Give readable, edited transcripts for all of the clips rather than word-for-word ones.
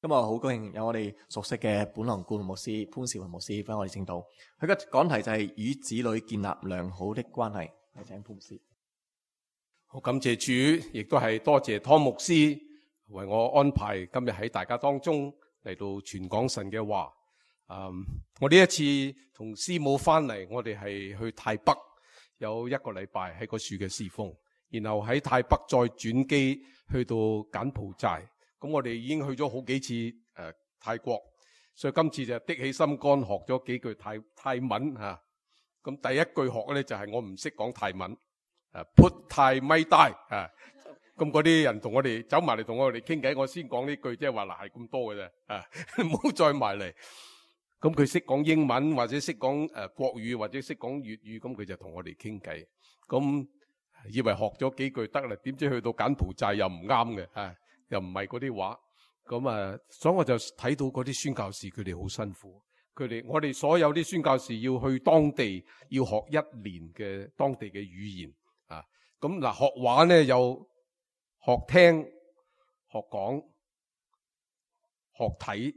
今日好高興有我哋熟悉嘅本堂顧問牧師潘兆雲牧師幫我哋證道。佢嘅講題就係與子女建立良好的關係。有請潘牧師。好，感謝主，亦都係多謝湯牧師為我安排今日喺大家當中嚟到傳講神嘅話。我呢一次同師母翻嚟，我哋係去泰北有1個禮拜喺個樹嘅侍奉，然後喺泰北再轉機去到柬埔寨。咁我哋已經去咗好幾次泰國，所以今次就的起心肝學咗幾句泰文吓。咁第一句學咧就係我唔識講泰文，put 泰咪帶啊。咁嗰啲人同我哋走埋嚟同我哋傾偈，我先講呢句，即係話嗱係咁多嘅啫，唔好再埋嚟。咁佢識講英文或者識講國語或者識講粵語，咁佢就同我哋傾偈。咁以為學咗幾句得啦，點知去到柬埔寨又唔啱嘅，又唔係嗰啲話。咁所以我就睇到嗰啲宣教士佢哋好辛苦。我哋所有啲宣教士要去當地要學1年嘅當地嘅語言啊。咁嗱，學話咧有學聽、學講、學睇、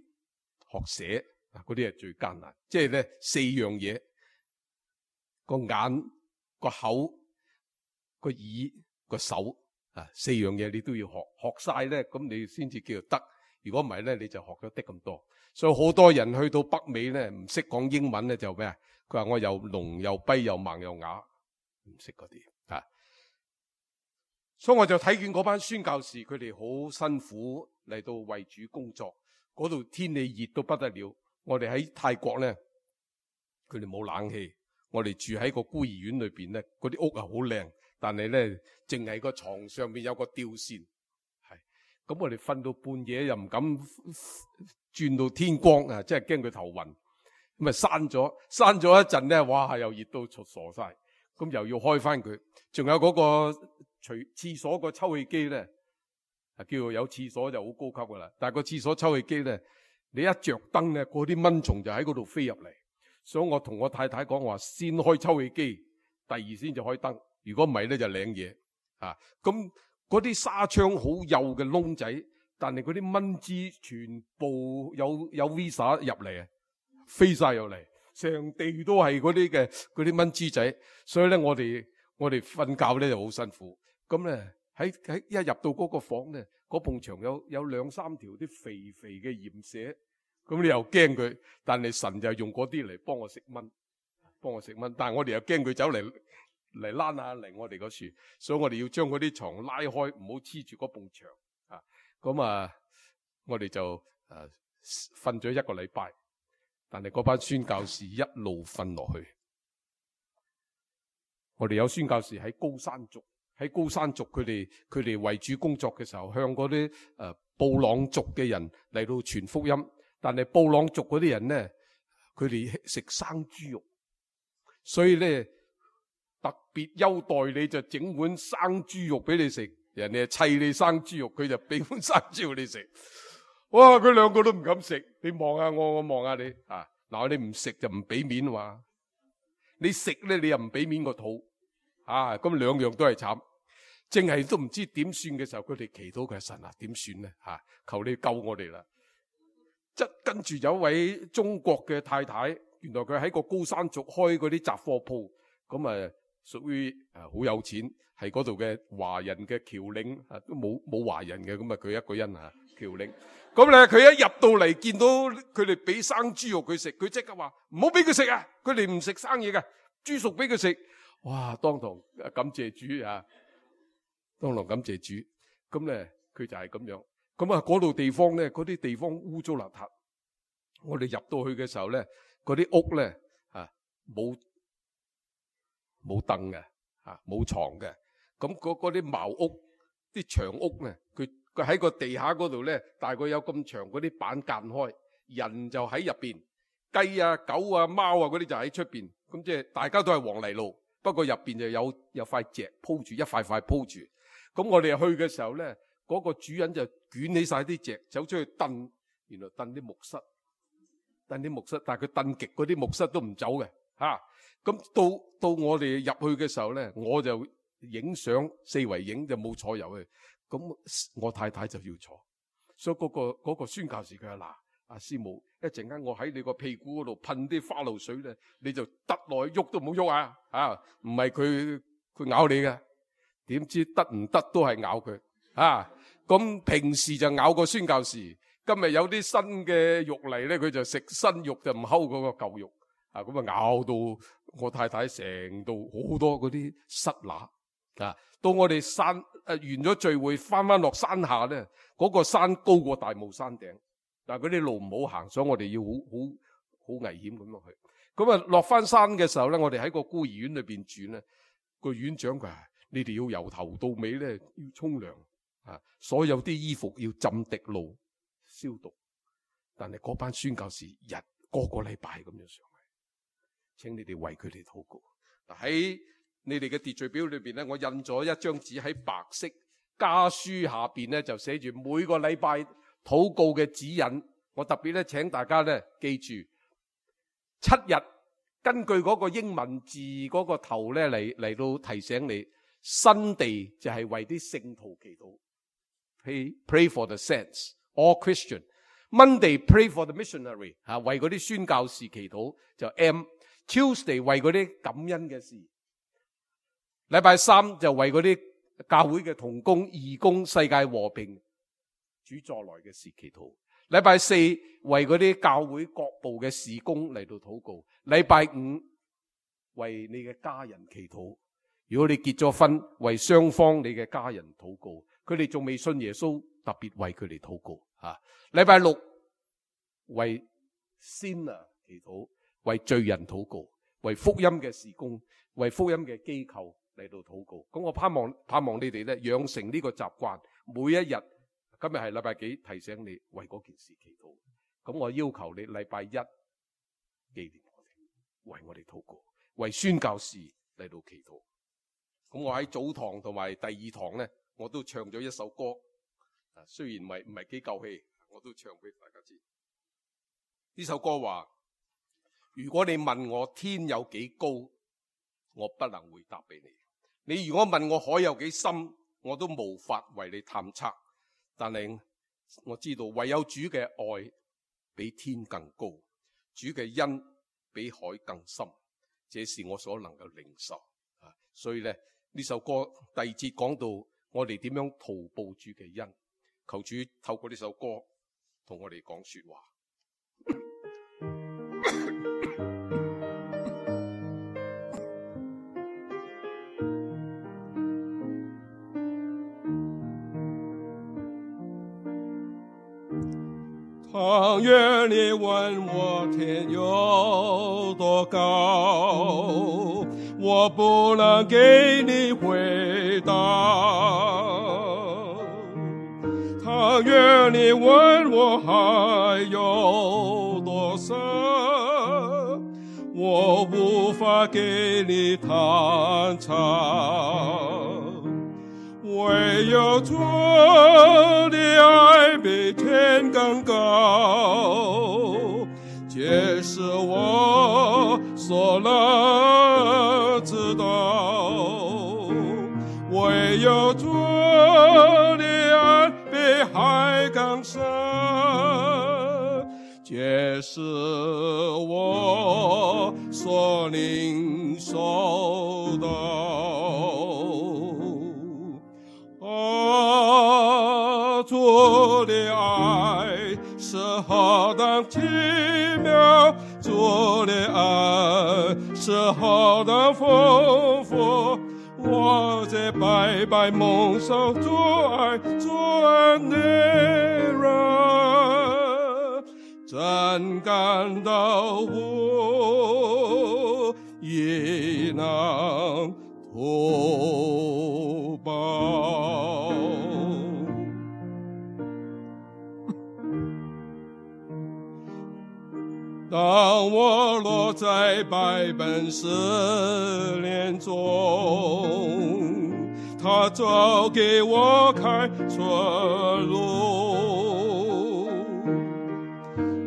學寫。嗰啲係最艱難，即係咧4樣嘢：個眼、個口、個耳、個手4樣嘢你都要學。學晒咧，咁你先至叫做得。如果唔係咧，你就學咗啲咁多。所以好多人去到北美咧，唔識講英文咧就咩啊？佢話我又聾又跛又盲又啞，唔識嗰啲啊。所以我就睇見嗰班宣教士，佢哋好辛苦嚟到為主工作。嗰度天氣熱到不得了。我哋喺泰國咧，佢哋冇冷氣，我哋住喺個孤兒院裏邊咧，嗰啲屋啊好靚，但係咧淨係個床上面有個吊扇，係咁我哋瞓到半夜又唔敢轉到天光啊，即係驚佢頭暈，咁啊閂咗一陣咧，哇又熱到傻晒，咁又要開翻佢，仲有嗰個廁所個抽氣機咧，叫做有廁所就好高級噶啦，但係個廁所抽氣機咧。你一着燈咧，嗰啲蚊蟲就喺嗰度飛入嚟，所以我同我太太講話，先開抽氣機，第二先就開燈。如果唔係咧，就領嘢啊。咁嗰啲紗窗好幼嘅窿仔，但係嗰啲蚊滋全部有 visa 入嚟啊，飛晒入嚟，成地都係嗰啲蚊滋仔。所以咧，我哋瞓覺咧就好辛苦。咁咧喺一入到嗰個房咧，嗰埲牆有2-3條啲肥肥嘅鹽蛇。咁你又驚佢，但係神就用嗰啲嚟幫我食蚊。但係我哋又驚佢走嚟躝下嚟我哋嗰樹，所以我哋要將嗰啲床拉開，唔好黐住嗰埲牆啊。咁我哋就瞓咗1個禮拜，但係嗰班宣教士一路瞓落去。我哋有宣教士喺高山族，佢哋為主工作嘅時候，向嗰啲布朗族嘅人嚟到傳福音。但係布朗族嗰啲人咧，佢哋食生豬肉，所以咧特別優待你，就整碗生豬肉俾你食。人哋係砌你生豬肉，佢就俾碗生豬肉你食。哇！佢2個都唔敢食。你望下我望下你啊！嗱，你唔食就唔俾面話，你食咧你又唔俾面個肚啊！咁2樣都係慘，淨係都唔知點算嘅時候，佢哋祈禱佢神啊，點算咧吓？求你救我哋啦！跟住有一位中國嘅太太，原來佢喺個高山族開嗰啲雜貨鋪，咁屬於好有錢，係嗰度嘅華人嘅僑領，都冇華人嘅，咁佢一個人僑領。咁咧佢一入到嚟見到佢哋俾生豬肉佢食，佢即刻話唔好俾佢食啊！佢哋唔食生嘢嘅，豬熟俾佢食。哇！當堂感謝主啊！當堂感謝主。咁咧佢就係咁樣。咁嗰度地方咧，嗰啲地方污糟邋遢。我哋入到去嘅時候咧，嗰啲屋咧冇凳嘅，冇床嘅。咁嗰啲茅屋、啲長屋咧，佢喺個地下嗰度咧，大概有咁長嗰啲板間開，人就喺入邊，雞啊、狗啊、貓啊嗰啲就喺出邊。咁即係大家都係黃泥路，不過入邊就有塊席鋪住，一塊塊鋪住。咁我哋去嘅時候咧，嗰個主人就捲起晒啲席，走出去燉，原來燉啲木虱，但係佢燉極嗰啲木虱都唔走嘅吓。咁到我哋入去嘅時候咧，我就影相，四圍影就冇坐入去。咁我太太就要坐，所以嗰個宣教士佢話嗱，阿師母，一陣間我喺你個屁股嗰度噴啲花露水咧，你就得落去喐都冇喐啊！啊，唔係佢咬你嘅，點知得唔得都係咬佢啊！咁平時就咬個宣教士，今日有啲新嘅肉嚟咧，佢就食新肉就唔摳嗰個舊肉啊！咁啊咬到我太太成度好多嗰啲虱乸啊！到我哋完咗聚會翻落山下咧，嗰個山高過大帽山頂，但係嗰啲路唔好行，所以我哋要好危險咁落去。咁啊落翻山嘅時候咧，我哋喺個孤兒院裏邊住咧，個院長佢話：你哋要由頭到尾咧要沖涼啊，所有啲衣服要浸滴露消毒。但係嗰班宣教士個禮拜咁樣上嚟，請你哋為佢哋禱告。喺你哋嘅秩序表裏邊咧，我印咗一張紙喺白色家書下邊咧，就寫住每個禮拜禱告嘅指引。我特別咧請大家咧記住7日，根據嗰個英文字嗰個頭咧嚟到提醒你。Sunday 就係為啲聖徒祈禱 ，pray for the saints, all Christian。Monday pray for the missionary， 為嗰啲宣教士祈禱就 M。Tuesday 為嗰啲感恩嘅事。禮拜3就為嗰啲教會嘅同工、義工、世界和平、主再來嘅事祈禱。禮拜4為嗰啲教會各部嘅事工嚟到禱告。禮拜5為你嘅家人祈禱。如果你結咗婚，為雙方你嘅家人禱告。佢哋仲未信耶穌，特別為佢哋禱告。禮拜6為 sinner 祈禱，為罪人禱告，為福音嘅事工，為福音嘅機構嚟到禱告。咁我盼望你哋咧養成呢個習慣，每一日，今日係禮拜幾，提醒你為嗰件事祈禱。咁我要求你禮拜1紀念我哋，為我哋禱告，為宣教士嚟到祈禱。咁我喺早堂同埋第2堂咧，我都唱咗一首歌。雖然唔係幾夠氣，我都唱俾大家知。呢首歌話：如果你問我天有幾高，我不能回答俾你；你如果問我海有幾深，我都無法為你探測。但係我知道，唯有主嘅愛比天更高，主嘅恩比海更深，這是我所能夠領受。所以咧，呢首歌第2節講到我哋點樣圖報主嘅恩。求主透過呢首歌同我哋講說話。倘若你問我天有多高，我不能給你回答。倘若你問我海有多深，我無法給你探測。唯有主的愛比天更高，這是我所能知道。唯有主的愛比海更深，這是我所領受的。主的愛是何等奇妙，主的愛是何等豐富，我在白白蒙受主愛主恩的人，真感到無以能圖報。當我落在百般試煉中，他早給我開出路。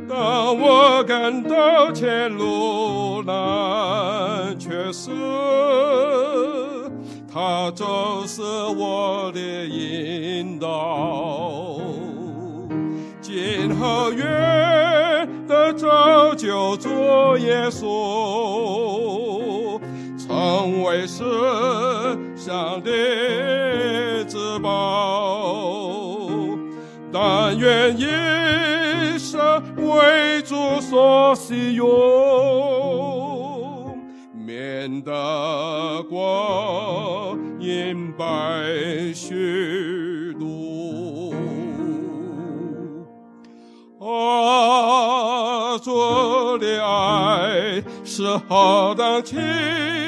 當我感到前路難缺失，他就是我的引導。因何願的造就主耶穌，成為世上的至寶，但願一生為主所使用，免得光陰白虛度。啊，主的愛是何等奇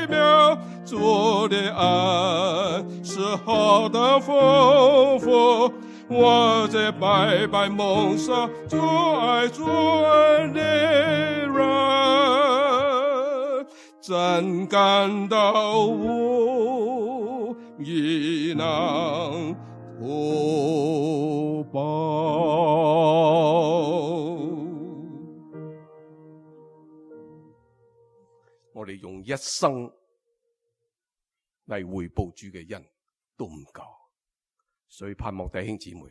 妙，主的愛是何等豐富，我這白白蒙上主愛的人，真感到無以能圖報。我哋用一生嚟回報主嘅恩都唔夠，所以盼望弟兄姊妹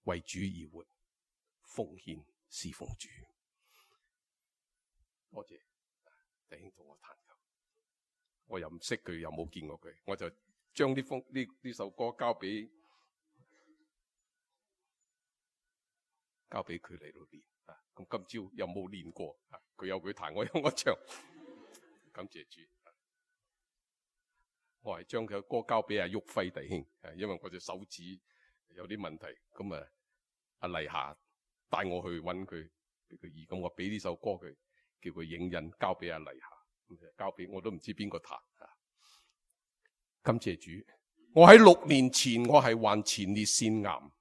為主而活，奉獻侍奉主。多謝弟兄同我彈琴，我又唔識佢，又冇見過佢，我就將呢首歌交俾佢嚟到練。咁今朝又冇練過，佢有佢彈，我有我唱，感謝主。我係將佢嘅歌交俾阿旭輝弟兄，因為我隻手指有啲問題，咁阿麗霞帶我去揾佢俾佢醫，咁我俾呢首歌佢，叫佢影印交俾阿麗霞，交俾我都唔知邊個彈。感謝主，我喺6年前我係患前列腺癌，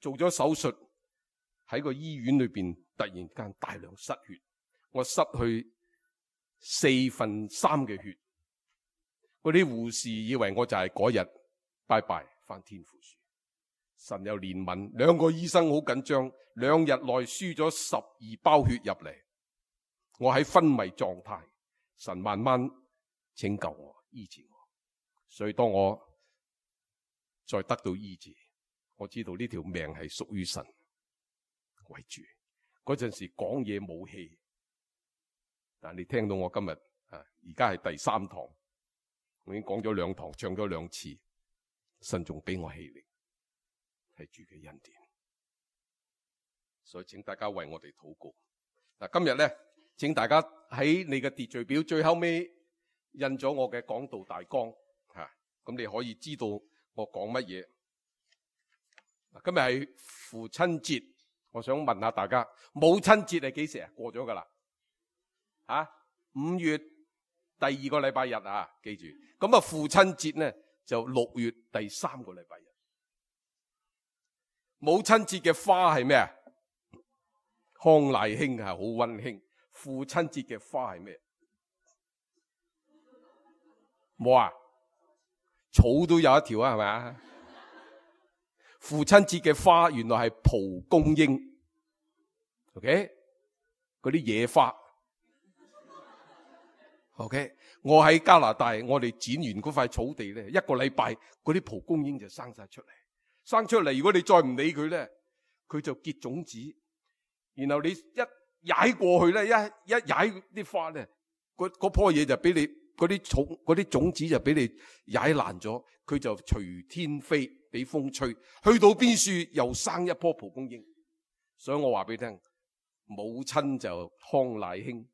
做咗手術，喺個醫院裏邊突然間大量失血，我失去3/4嘅血。嗰啲護士以為我就係嗰日拜拜返天父樹，神有憐憫，2個醫生好緊張，2日內輸咗12包血入嚟，我喺昏迷狀態，神慢慢拯救我，醫治我。所以當我再得到醫治，我知道呢條命係屬於神為主。嗰陣時講嘢冇氣，但你聽到我今日而家係第3堂，我已經講咗2堂，唱咗2次，神仲俾我氣力，係主嘅恩典。所以請大家為我哋禱告。今日咧，請大家喺你嘅秩序表最後尾印咗我嘅講道大綱，咁你可以知道我講乜嘢。今日係父親節，我想問下大家，母親節係幾時啊？過咗噶啦，5月第2個禮拜日啊，記住。咁父親節呢就6月第3個禮拜日。母親節嘅花係咩啊？康乃馨，係好溫馨。父親節嘅花係咩？冇啊？草都有一條啊，係咪啊？父親節嘅花原來係蒲公英 ，OK？ 嗰啲野花 ，OK？ 我喺加拿大，我哋剪完嗰塊草地咧，1個禮拜嗰啲蒲公英就生晒出嚟。生出嚟，如果你再唔理佢咧，佢就結種子。然後你一踩過去咧，一踩啲花咧，嗰棵嘢就俾你嗰啲種子就俾你踩爛咗，佢就隨天飛，俾風吹，去到邊處又生一棵蒲公英。所以我話俾你聽，母親就康乃馨，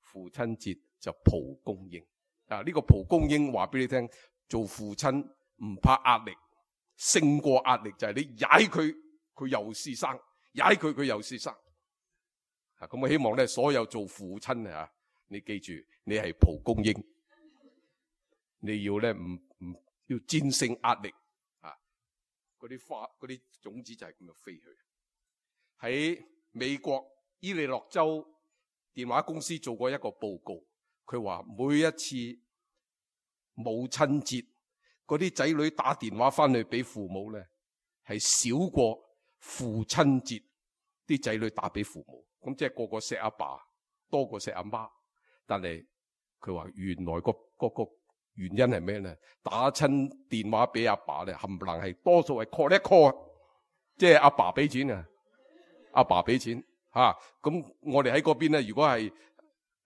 父親節就蒲公英。呢個蒲公英話俾你聽，做父親唔怕壓力，勝過壓力就係你踩佢，佢又是生；踩佢，佢又是生。咁我希望咧，所有做父親啊，你記住，你係蒲公英，你要咧唔要戰勝壓力啊！嗰啲花、嗰啲種子就係咁樣飛去。喺美國伊利諾州電話公司做過一個報告，佢話每一次母親節，嗰啲仔女打電話翻去俾父母咧，係少過父親節啲仔女打俾父母。咁即係個個錫阿爸多過錫阿媽，但係佢話原來個原因係咩咧？打親電話俾阿爸咧，冚唪唥係多數係 call 一 call， 即係阿爸俾錢啊，阿爸俾錢吓。咁我哋喺嗰邊咧，如果係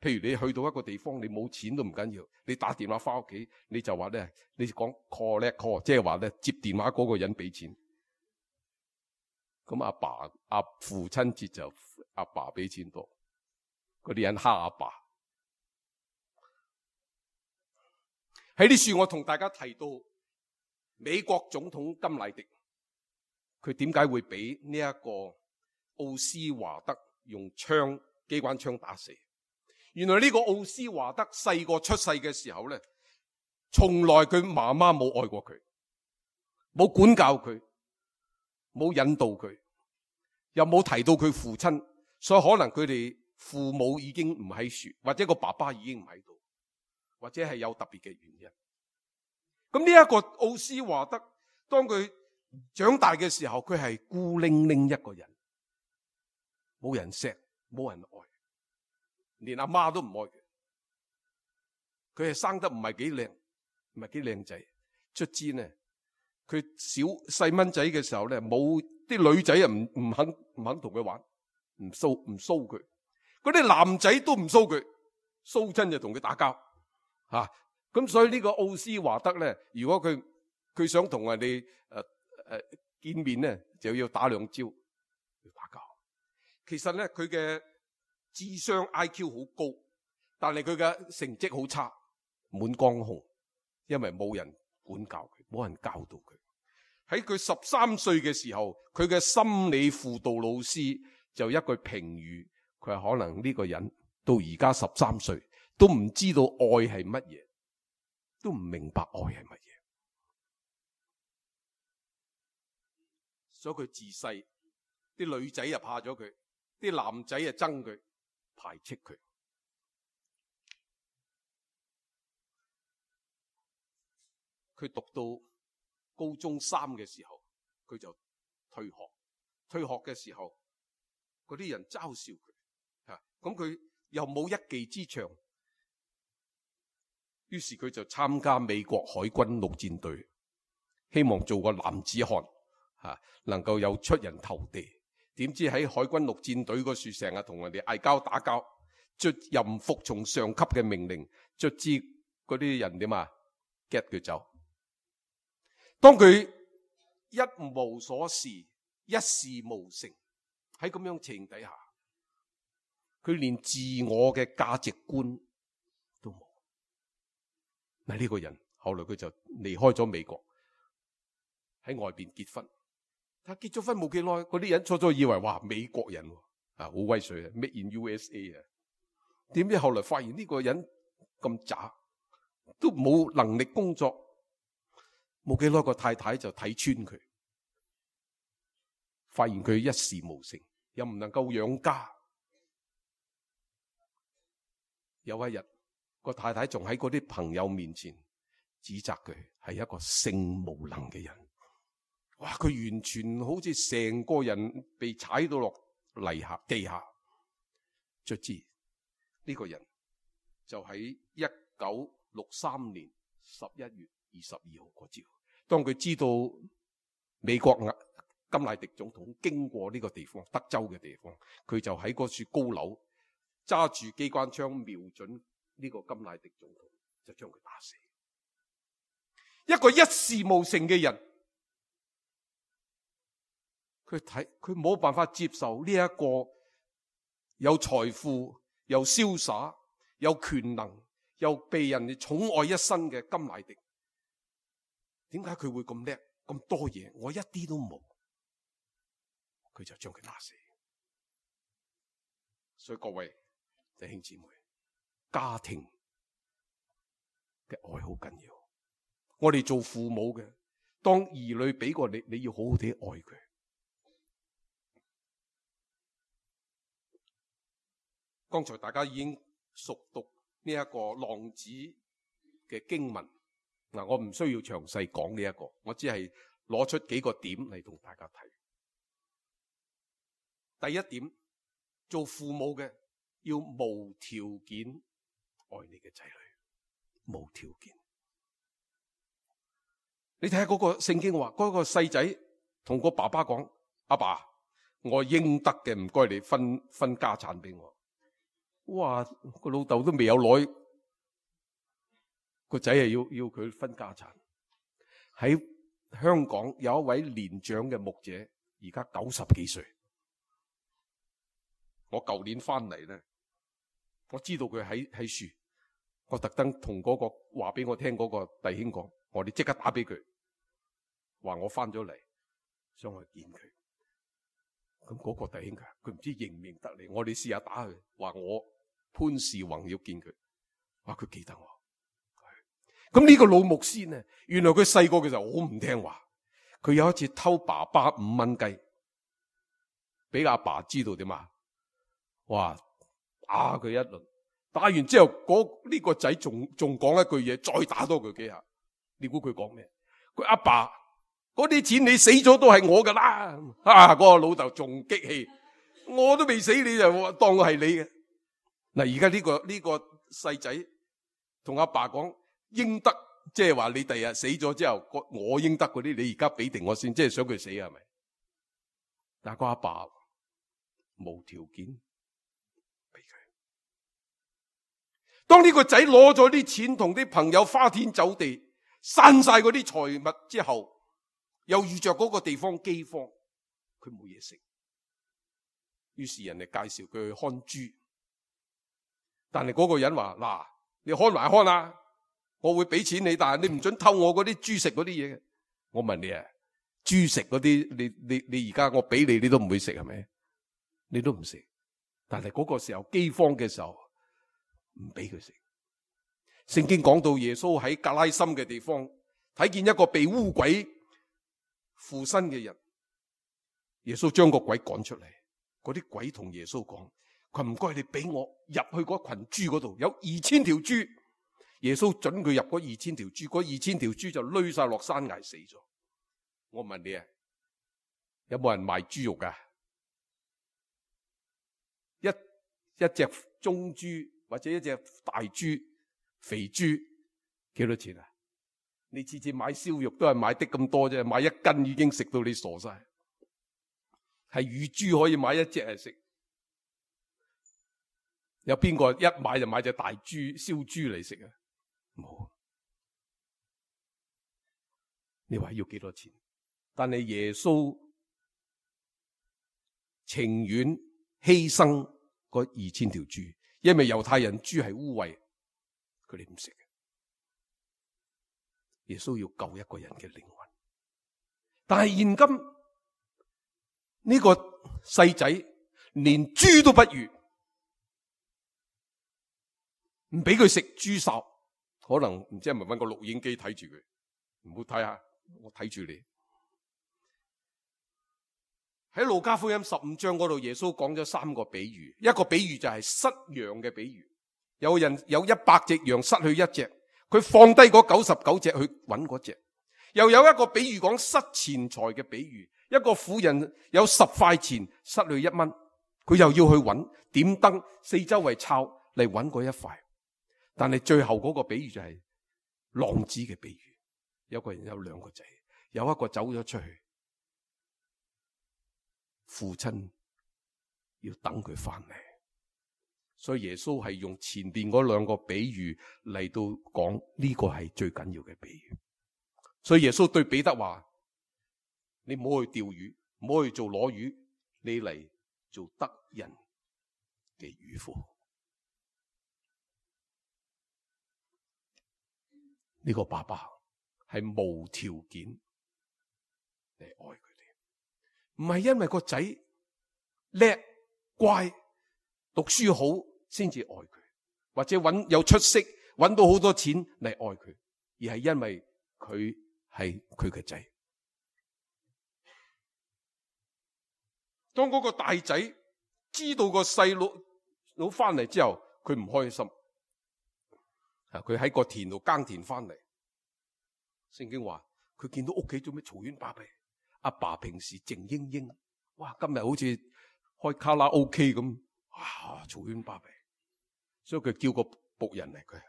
譬如你去到一個地方，你冇錢都唔緊要，你打電話翻屋企，你就話咧，你講 call 一 call， 即係話咧接電話嗰個人俾錢。咁阿父親節就阿爸俾錢多，嗰啲人蝦阿爸。喺呢處我同大家提到美國總統甘迺迪，佢點解會俾呢一個奧斯華德用機關槍打死？原來呢個奧斯華德細個出世嘅時候咧，從來佢媽媽冇愛過佢，冇管教佢，冇引導佢，又冇提到佢父親，所以可能佢哋父母已經唔喺處，或者個爸爸已經唔喺度，或者係有特別嘅原因。咁呢一個奧斯華德，當佢長大嘅時候，佢係孤零零一個人，冇人錫，冇人愛，連阿媽都唔愛佢。佢係生得唔係幾靚，唔係幾靚仔。卒之呢，佢細蚊仔嘅時候咧，冇啲女仔啊唔肯同佢玩，唔騷佢。嗰啲男仔都唔騷佢，騷親就同佢打交吓。咁所以呢個奧斯華德咧，如果佢想同人哋見面咧，就要打兩招，要打交。其實咧，佢嘅智商 IQ 好高，但係佢嘅成績好差，滿江紅，因為冇人管教佢，冇人教導佢。喺佢13歲嘅時候，佢嘅心理輔導老師就一句評語，佢話可能呢個人到而家13歲都唔知道愛係乜嘢，都唔明白愛係乜嘢。所以佢自細啲女仔又怕咗佢，啲男仔又憎佢，排斥佢。佢讀到高中3嘅時候，佢就退學。退學嘅時候，嗰啲人嘲笑佢，咁佢又冇一技之長，於是佢就參加美國海軍陸戰隊，希望做個男子漢，能夠有出人頭地。點知喺海軍陸戰隊嗰處成日同人哋嗌交打交，又唔服從上級嘅命令，卒之嗰啲人點啊，get佢走。當佢一無所事，一事無成，喺咁樣情底下，佢連自我嘅價值觀都冇。嗱，呢個人後來佢就離開咗美國，喺外邊結婚。但結咗婚冇幾耐，嗰啲人初以為哇，美國人好威水啊 ，Made in USA 啊。點知後來發現呢個人咁渣，都冇能力工作。冇幾耐個太太就睇穿佢，發現佢一事無成，又唔能夠養家。有一日，個太太仲喺嗰啲朋友面前指責佢係一個性無能嘅人。哇！佢完全好似成個人被踩到落地下。卒之呢個人就喺1963年11月22號嗰朝，當佢知道美國甘迺迪總統經過呢個地方，德州嘅地方，佢就喺嗰處高樓揸住機關槍瞄準呢個甘迺迪總統，就將佢打死。一個一事無成嘅人，佢冇辦法接受呢一個有財富、又瀟灑、有權能、又被人哋寵愛一生嘅甘迺迪。點解佢會咁叻咁多嘢？我一啲都冇，佢就將佢打死。所以各位弟兄姊妹，家庭嘅愛好緊要。我哋做父母嘅，當兒女俾過你，你要好好地愛佢。剛才大家已經熟讀呢一個浪子嘅經文。嗱，我唔需要詳細講呢一個，我只係攞出幾個點嚟同大家睇。第一點，做父母嘅要無條件愛你嘅仔女，無條件。你睇下嗰個聖經話，嗰個細仔同個爸爸講：阿爸，我應得嘅，唔該你分家產俾我。哇！個老豆都未有耐，個仔係要佢分家產。喺香港有一位年長嘅牧者，而家90幾歲。我舊年翻嚟咧，我知道佢喺樹，我特登同嗰個話俾我聽嗰個弟兄講，我哋即刻打俾佢，話我翻咗嚟，想去見佢。咁嗰個弟兄佢唔知認唔認得你，我哋試下打佢，話我潘士宏要見佢，話佢記得我。咁呢個老牧師呢，原來佢細個嘅時候好唔聽話，佢有一次偷爸爸5蚊雞，俾阿爸知道點啊？哇！打佢一輪，打完之後呢個仔仲講一句嘢，再打多佢幾下。你估佢講咩？佢阿爸嗰啲錢你死咗都係我噶啦！嗰個老豆仲激氣，我都未死你就當我係你嘅。嗱，而家呢個細仔同阿爸講應得，即係話你第日死咗之後，我應得嗰啲你而家俾定我先，即係想佢死係咪？但係個阿爸無條件。當呢個仔攞咗啲錢同啲朋友花天酒地，散晒嗰啲財物之後，又遇着嗰個地方饑荒，佢冇嘢食。於是人哋介紹佢去看豬，但係嗰個人話：嗱，你看埋看啊，我會俾錢你，但係你唔准偷我嗰啲豬食嗰啲嘢嘅。我問你啊，豬食嗰啲，你而家我俾你，你都唔會食係咪？你都唔食。但係嗰個時候饑荒嘅時候，唔俾佢食。聖經講到耶穌喺格拉森嘅地方睇見一個被污鬼附身嘅人，耶穌將個鬼趕出嚟。嗰啲鬼同耶穌講：佢唔該你俾我入去嗰群豬嗰度，有2000條豬。耶穌准佢入嗰2000條豬，嗰2000條豬就攏晒落山崖死咗。我問你啊，有冇人賣豬肉噶？一隻中豬或者一隻大豬、肥豬幾多錢啊？你次次買燒肉都係買的咁多啫，買1斤已經食到你傻晒。係乳豬可以買1隻嚟食，有邊個一買就買隻大豬燒豬嚟食啊？冇。你話要幾多錢？但係耶穌情願犧牲嗰2000條豬，因為猶太人豬係污穢，佢哋唔食嘅。耶穌要救一個人嘅靈魂，但係現今呢個細仔連豬都不如，唔俾佢食豬潲，可能唔知係咪搵個錄影機睇住佢，唔好睇下，我睇住你。喺路加福音15章嗰度，耶穌講咗3個比喻。一個比喻就係失羊嘅比喻，有人有100隻羊失去1隻，佢放低嗰99隻去揾嗰隻。又有一個比喻講失錢財嘅比喻，一個婦人有10塊錢失去1蚊，佢又要去揾，點燈四周圍抄嚟揾嗰1塊。但係最後嗰個比喻就係浪子嘅比喻，有個人有2個仔，有一個走咗出去，父親要等佢翻嚟，所以耶穌係用前邊嗰2個比喻嚟到講呢個係最緊要嘅比喻。所以耶穌對彼得話：你唔好去釣魚，唔好去做攞魚，你嚟做得人嘅漁夫。呢個爸爸係無條件嚟愛佢哋，唔係因為個仔叻乖讀書好先至愛佢，或者有出息搵到好多錢嚟愛佢，而係因為佢係佢嘅仔。當嗰個大仔知道個細佬翻嚟之後，佢唔開心。佢喺個田度耕田翻嚟，聖經話佢見到屋企做咩嘈喧巴閉，阿爸平時靜英英，哇，今日好似開卡拉 OK 咁，哇，嘈喧巴閉，所以佢叫個僕人嚟，佢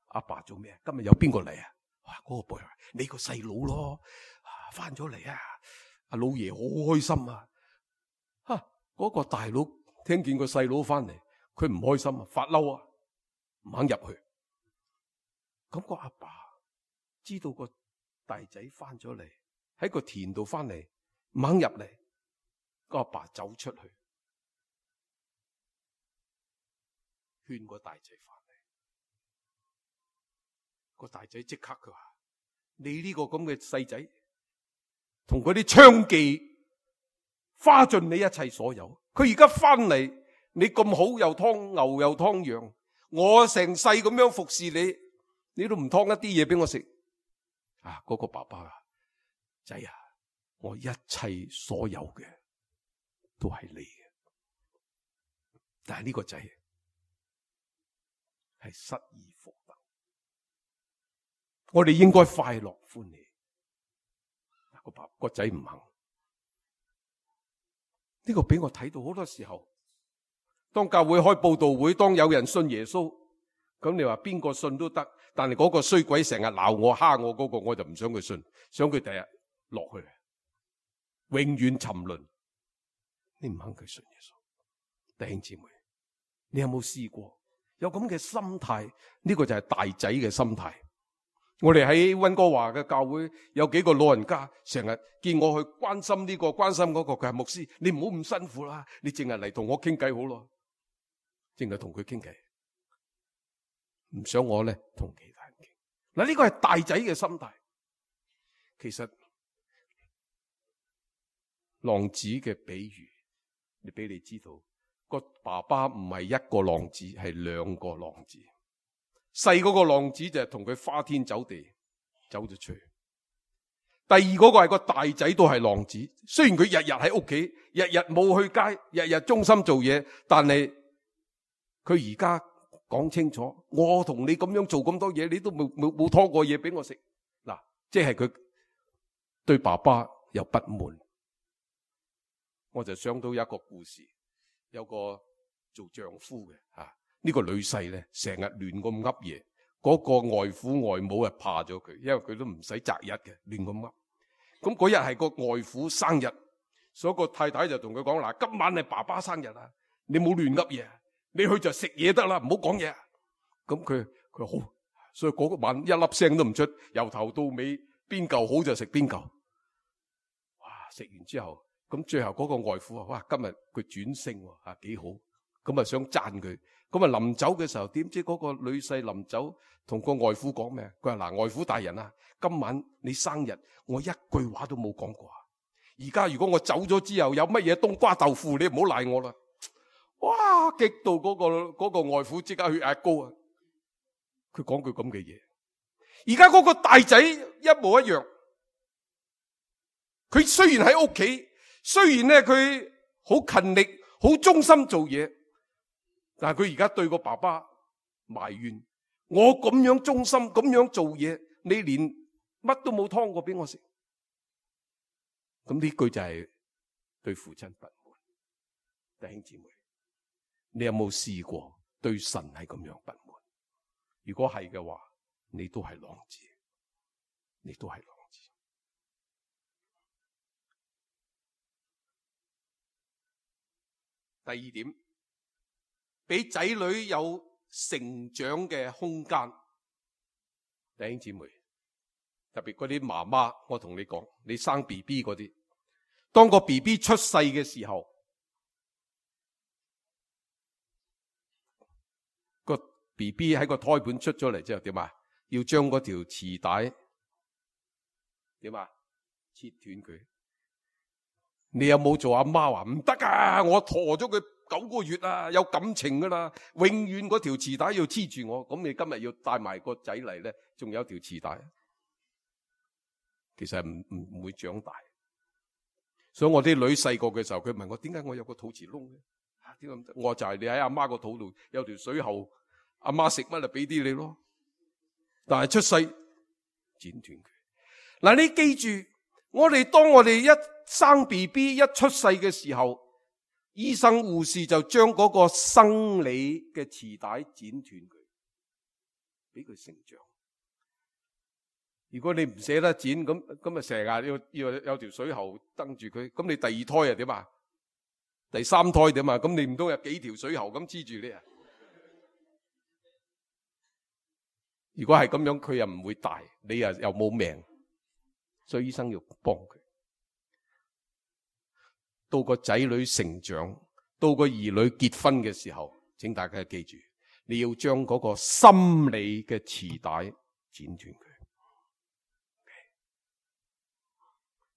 阿爸做咩？今日有邊個嚟啊？哇！嗰個 boy 話：你個細佬咯，翻咗嚟啊！阿老爺好開心啊！嗰個大佬聽見個細佬翻嚟，佢唔開心啊，發嬲啊，唔肯入去。咁個阿爸知道個大仔翻咗嚟，喺個田度翻嚟，唔肯入嚟。個阿爸走出去勸個大仔翻嚟。個大仔即刻佢話：你呢個咁嘅細仔，同嗰啲娼妓花盡你一切所有。佢而家翻嚟，你咁好，又劏牛又劏羊，我成世咁樣服侍你，你都唔劏一啲嘢俾我食。嗰個爸爸啊，仔啊，我一切所有嘅都係你嘅。但係呢個仔係失而復得，我哋應該快樂歡喜。個仔唔肯。呢個俾我睇到好多時候，當教會開佈道會，當有人信耶穌，咁你話邊個信都得，但係嗰個衰鬼成日鬧我蝦我嗰個，我就唔想佢信，想佢第日落去，永遠沉淪。你唔肯佢信耶穌，弟兄姊妹，你有冇試過有咁嘅心態？呢個就係大仔嘅心態。我哋喺溫哥華嘅教會有幾個老人家，成日見我去關心呢個關心嗰個，佢係牧師，你唔好咁辛苦啦，你淨係嚟同我傾偈好咯，淨係同佢傾偈，唔想我咧同其他人傾。嗱，呢個係大仔嘅心態。其實浪子嘅比喻，你俾你知道，個爸爸唔係一個浪子，係兩個浪子。細嗰個浪子就係同佢花天酒地，走咗出去。第二嗰個係個大仔，都係浪子。雖然佢日日喺屋企，日日冇去街，日日忠心做嘢，但係佢而家講清楚，我同你咁樣做咁多嘢，你都冇拖過嘢俾我食。嗱，即係佢對爸爸有不滿。我就想到一個故事，有個做丈夫嘅呢個女婿咧，成日亂咁噏嘢，嗰個外父外母啊怕咗佢，因為佢都唔使擇日嘅，亂咁噏。咁嗰日係個外父生日，所以個太太就同佢講：嗱，今晚係爸爸生日啊，你冇亂噏嘢，你去就食嘢得啦，唔好講嘢。咁佢好，所以嗰個晚一粒聲都唔出，由頭到尾邊嚿好就食邊嚿。哇！食完之後，咁最後嗰個外父話：哇，今日佢轉性喎，幾好。咁啊想讚佢。咁啊臨走嘅時候，點知嗰個女婿臨走同個外父講咩？佢話：嗱，外父大人啊，今晚你生日，我一句話都冇講過。而家如果我走咗之後有乜嘢冬瓜豆腐，你唔好賴我啦。哇！激到嗰個外父即刻血壓高啊！佢講句咁嘅嘢。而家嗰個大仔一模一樣。佢雖然喺屋企，雖然咧佢好勤力、好忠心做嘢。但係佢而家對個爸爸埋怨，我咁樣忠心咁樣做嘢，你連乜都冇劏過俾我食。咁呢句就係對父親不滿。弟兄姊妹，你有冇試過對神係咁樣不滿？如果係嘅話，你都係浪子，你都係浪子。第二點，俾仔女有成長嘅空間。弟兄姊妹，特別嗰啲媽媽，我同你講，你生 BB 嗰啲，當個 BB 出世嘅時候，個 BB 喺個胎盤出咗嚟之後點啊？要將嗰條臍帶點啊？切斷佢。你有冇做阿媽話唔得啊？我陀咗佢9個月啊，有感情噶啦，永遠嗰條臍帶要黐住我。咁你今日要帶埋個仔嚟咧，仲有條臍帶，其實唔會長大。所以我啲女細個嘅時候，佢問我點解我有個肚臍窿咧？點解唔得？我就係你喺阿媽個肚度有條水喉，阿媽食乜就俾啲你咯。但係出世剪斷佢。嗱，你記住，當我哋一生 BB 一出世嘅時候，醫生護士就將嗰個生理嘅臍帶剪斷佢，俾佢成長。如果你唔捨得剪，咁啊成日要有條水喉登住佢，咁你第二胎啊點啊？第三胎點啊？咁你唔通有幾條水喉咁黐住你啊？如果係咁樣，佢又唔會大，你又冇命，所以醫生要幫佢。到個仔女成長，到個兒女結婚嘅時候，請大家記住，你要將嗰個心理嘅臍帶剪斷佢。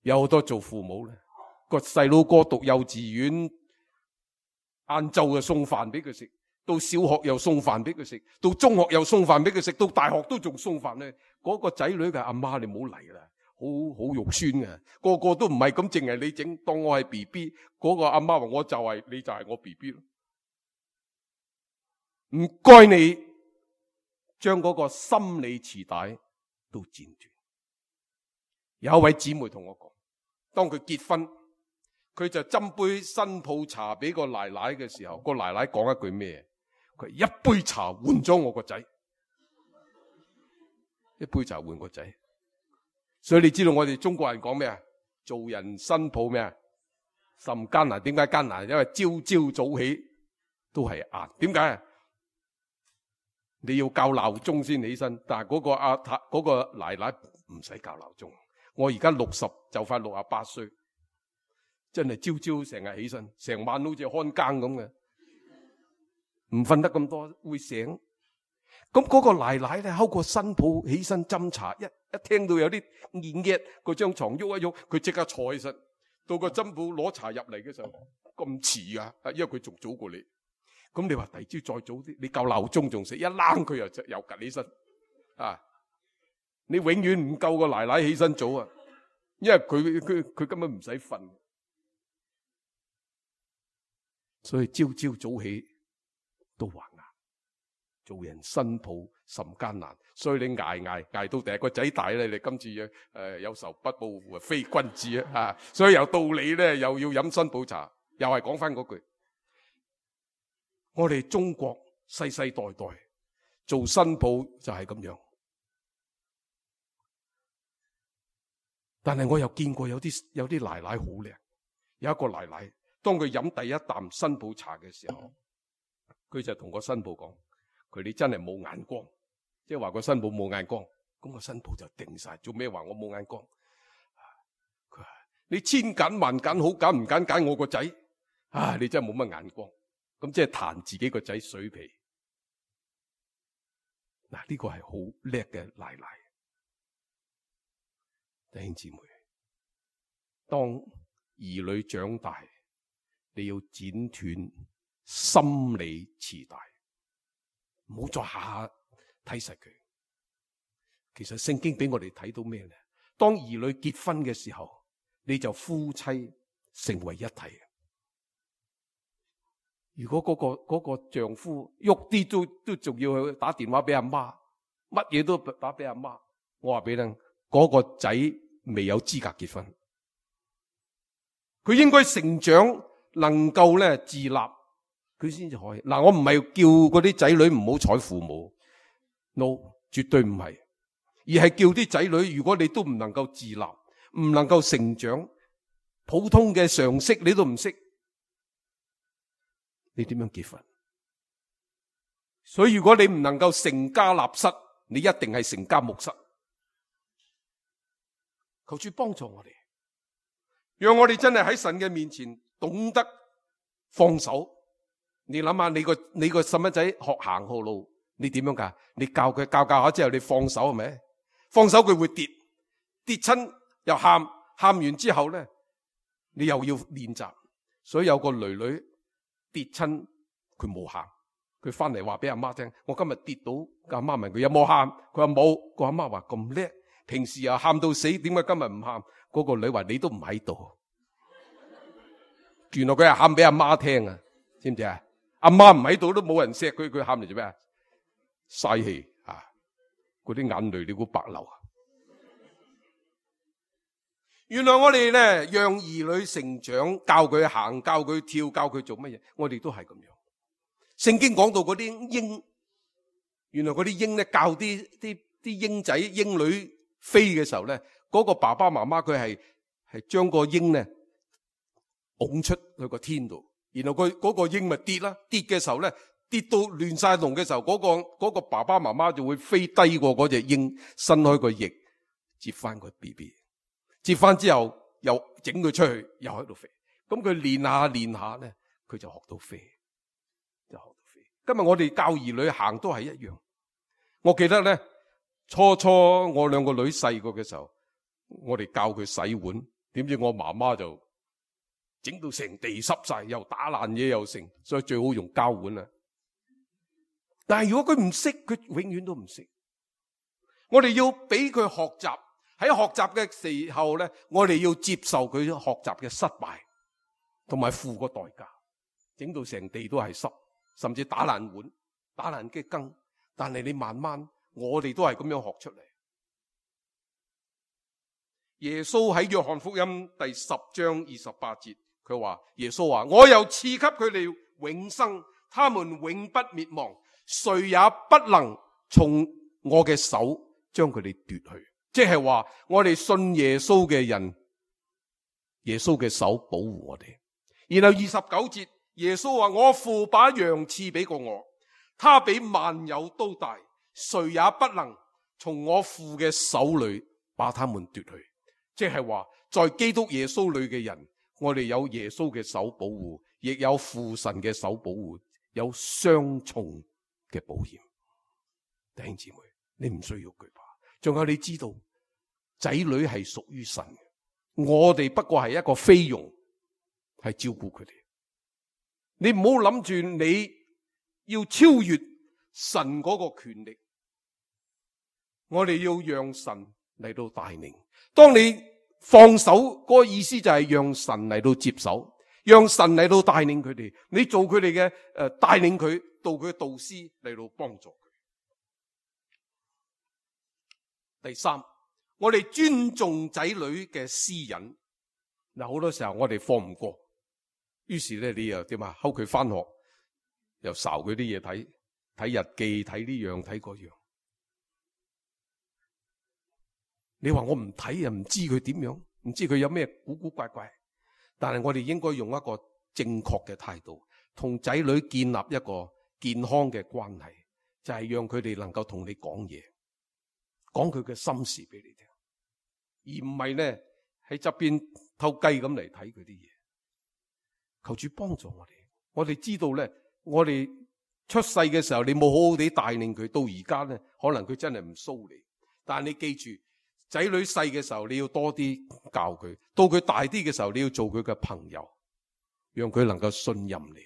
有好多做父母咧，個細佬哥讀幼稚園，晏晝就送飯俾佢食，到小學又送飯俾佢食，到中學又送飯俾佢食，到大學都仲送飯咧。嗰個仔女嘅阿媽，你唔好嚟啦，好肉酸嘅，個個都唔係咁，淨係你整，當我係 BB， 嗰個阿媽話我就係，你就係我 BB 咯。唔該你將嗰個心理臍帶都剪斷。有一位姊妹同我講，當佢結婚，佢就斟杯新抱茶俾個奶奶嘅時候，個奶奶講一句咩？佢一杯茶換咗我個仔，一杯茶換個仔。所以你知道我哋中國人講咩啊？做人新抱咩啊？甚艱難。點解艱難？因為朝朝早起都係晏。點解啊？你要校鬧鐘先起身，但係嗰個奶奶唔使校鬧鐘。我而家60就快68歲，真係朝朝成日起身，成晚好似看更咁嘅，唔瞓得咁多會醒。咁嗰個奶奶咧，睺個新抱起身斟茶，一聽到有啲熱嘅，嗰張床喐一喐，佢即刻坐起身。到個新抱攞茶入嚟嘅時候，咁遲啊，因為佢仲早過你。咁你話第二朝再早啲，你校鬧鐘仲食，一冷佢又趌起身啊！你永遠唔夠個奶奶起身早啊，因為佢根本唔使瞓，所以朝朝早起都還難。做人新抱甚艱難，所以你捱到第一個仔大咧，你今次有仇不報非君子啊！所以有道理咧，又要飲新抱茶，又係講翻嗰句，我哋中國世世代代做新抱就係咁樣。但係我又見過有啲奶奶好靚，有一個奶奶，當佢飲第一啖新抱茶嘅時候，佢就同個新抱講：佢你真係冇眼光，即係話個新抱冇眼光。咁個新抱就定晒，做咩話我冇眼光？佢話你千揀萬揀，好揀唔揀我個仔啊！你真係冇乜眼光。咁即係彈自己個仔水皮。嗱，呢個係好叻嘅奶奶。弟兄姊妹，當兒女長大，你要剪斷心理臍帶，唔好再下下睇實佢。其實聖經俾我哋睇到咩咧？當兒女結婚嘅時候，你就夫妻成為一體。如果嗰個丈夫喐啲都仲要去打電話俾阿媽，乜嘢都打俾阿媽，我話俾你聽，嗰個仔未有資格結婚。佢應該成長，能夠咧自立，佢先至可以。嗱，我唔係叫嗰啲仔女唔好睬父母 ，no， 絕對唔係，而係叫啲仔女，如果你都唔能夠自立，唔能夠成長，普通嘅常識你都唔識，你點樣結婚？所以如果你唔能夠成家立室，你一定係成家木室。求主幫助我哋，讓我哋真係喺神嘅面前懂得放手。你諗下，你個細蚊仔學行好路，你點樣噶？你教佢教下之後，你放手係咪？放手佢會跌親又喊完之後咧，你又要練習。所以有個女女跌親，佢冇喊，佢翻嚟話俾阿媽聽：我今日跌到。阿媽問佢有冇喊，佢話冇。個阿媽話咁叻，平時又喊到死，點解今日唔喊？嗰個女話你都唔喺度。原來佢係喊俾阿媽聽啊，知唔知啊？阿媽唔喺度都冇人錫佢，佢喊嚟做咩啊？嘥氣啊！嗰啲眼淚你估白流啊？原來我哋咧讓兒女成長，教佢行，教佢跳，教佢做乜嘢，我哋都係咁樣。聖經講到嗰啲鷹，原來嗰啲鷹咧教啲鷹仔鷹女飛嘅時候咧，嗰個爸爸媽媽佢係將個鷹咧拱出去個天度，然後佢嗰個鷹咪跌啦，跌嘅時候咧，跌到亂晒龍嘅時候，嗰個爸爸媽媽就會飛低過嗰隻鷹，伸開個翼接翻個 BB， 接翻之後又整佢出去，又喺度飛。咁佢練下咧，佢就學到飛，今日我哋教兒女行都係一樣。我記得咧，初我兩個女細個嘅時候，我哋教佢洗碗，點知我媽媽就整到成地濕晒，又打爛嘢又成，所以最好用膠碗啦。但係如果佢唔識，佢永遠都唔識。我哋要俾佢學習，喺學習嘅時候咧，我哋要接受佢學習嘅失敗，同埋付個代價，整到成地都係濕，甚至打爛碗、打爛嘅羹。但係你慢慢，我哋都係咁樣學出嚟。耶穌喺約翰福音第10章28節，佢話：耶穌話，我又賜給佢哋永生，他們永不滅亡，誰也不能從我嘅手將佢哋奪去。即係話，我哋信耶穌嘅人，耶穌嘅手保護我哋。然後29節，耶穌話：我父把羊賜俾過我，他比萬有都大，誰也不能從我父嘅手裏把他們奪去。即係話，在基督耶穌裏嘅人，我哋有耶穌嘅手保護，亦有父神嘅手保護，有雙重嘅保險。弟兄姊妹，你唔需要懼怕。仲有，你知道仔女係屬於神嘅，我哋不過係一個菲傭，係照顧佢哋。你唔好諗住你要超越神嗰個權力，我哋要讓神嚟到帶領。當你放手嗰個意思就係讓神嚟到接手，讓神嚟到帶領佢哋，你做佢哋嘅帶領佢到佢嘅導師嚟到幫助佢。第三，我哋尊重仔女嘅私隱。嗱，好多時候我哋放唔過，於是咧你又點啊？睺佢翻學，又睄佢啲嘢睇，睇日記，睇呢樣睇嗰樣。你話我唔睇又唔知佢點樣，唔知佢有咩古古怪怪。但係我哋應該用一個正確嘅態度，同仔女建立一個健康嘅關係，就係讓佢哋能夠同你講嘢，講佢嘅心事俾你聽，而唔係咧喺側邊偷雞咁嚟睇佢啲嘢。求主幫助我哋。我哋知道咧，我哋出世嘅時候你冇好好地帶領佢，到而家咧可能佢真係唔騷你。但係你記住，仔女細嘅時候你要多啲教佢，到佢大啲嘅時候你要做佢嘅朋友，讓佢能夠信任你，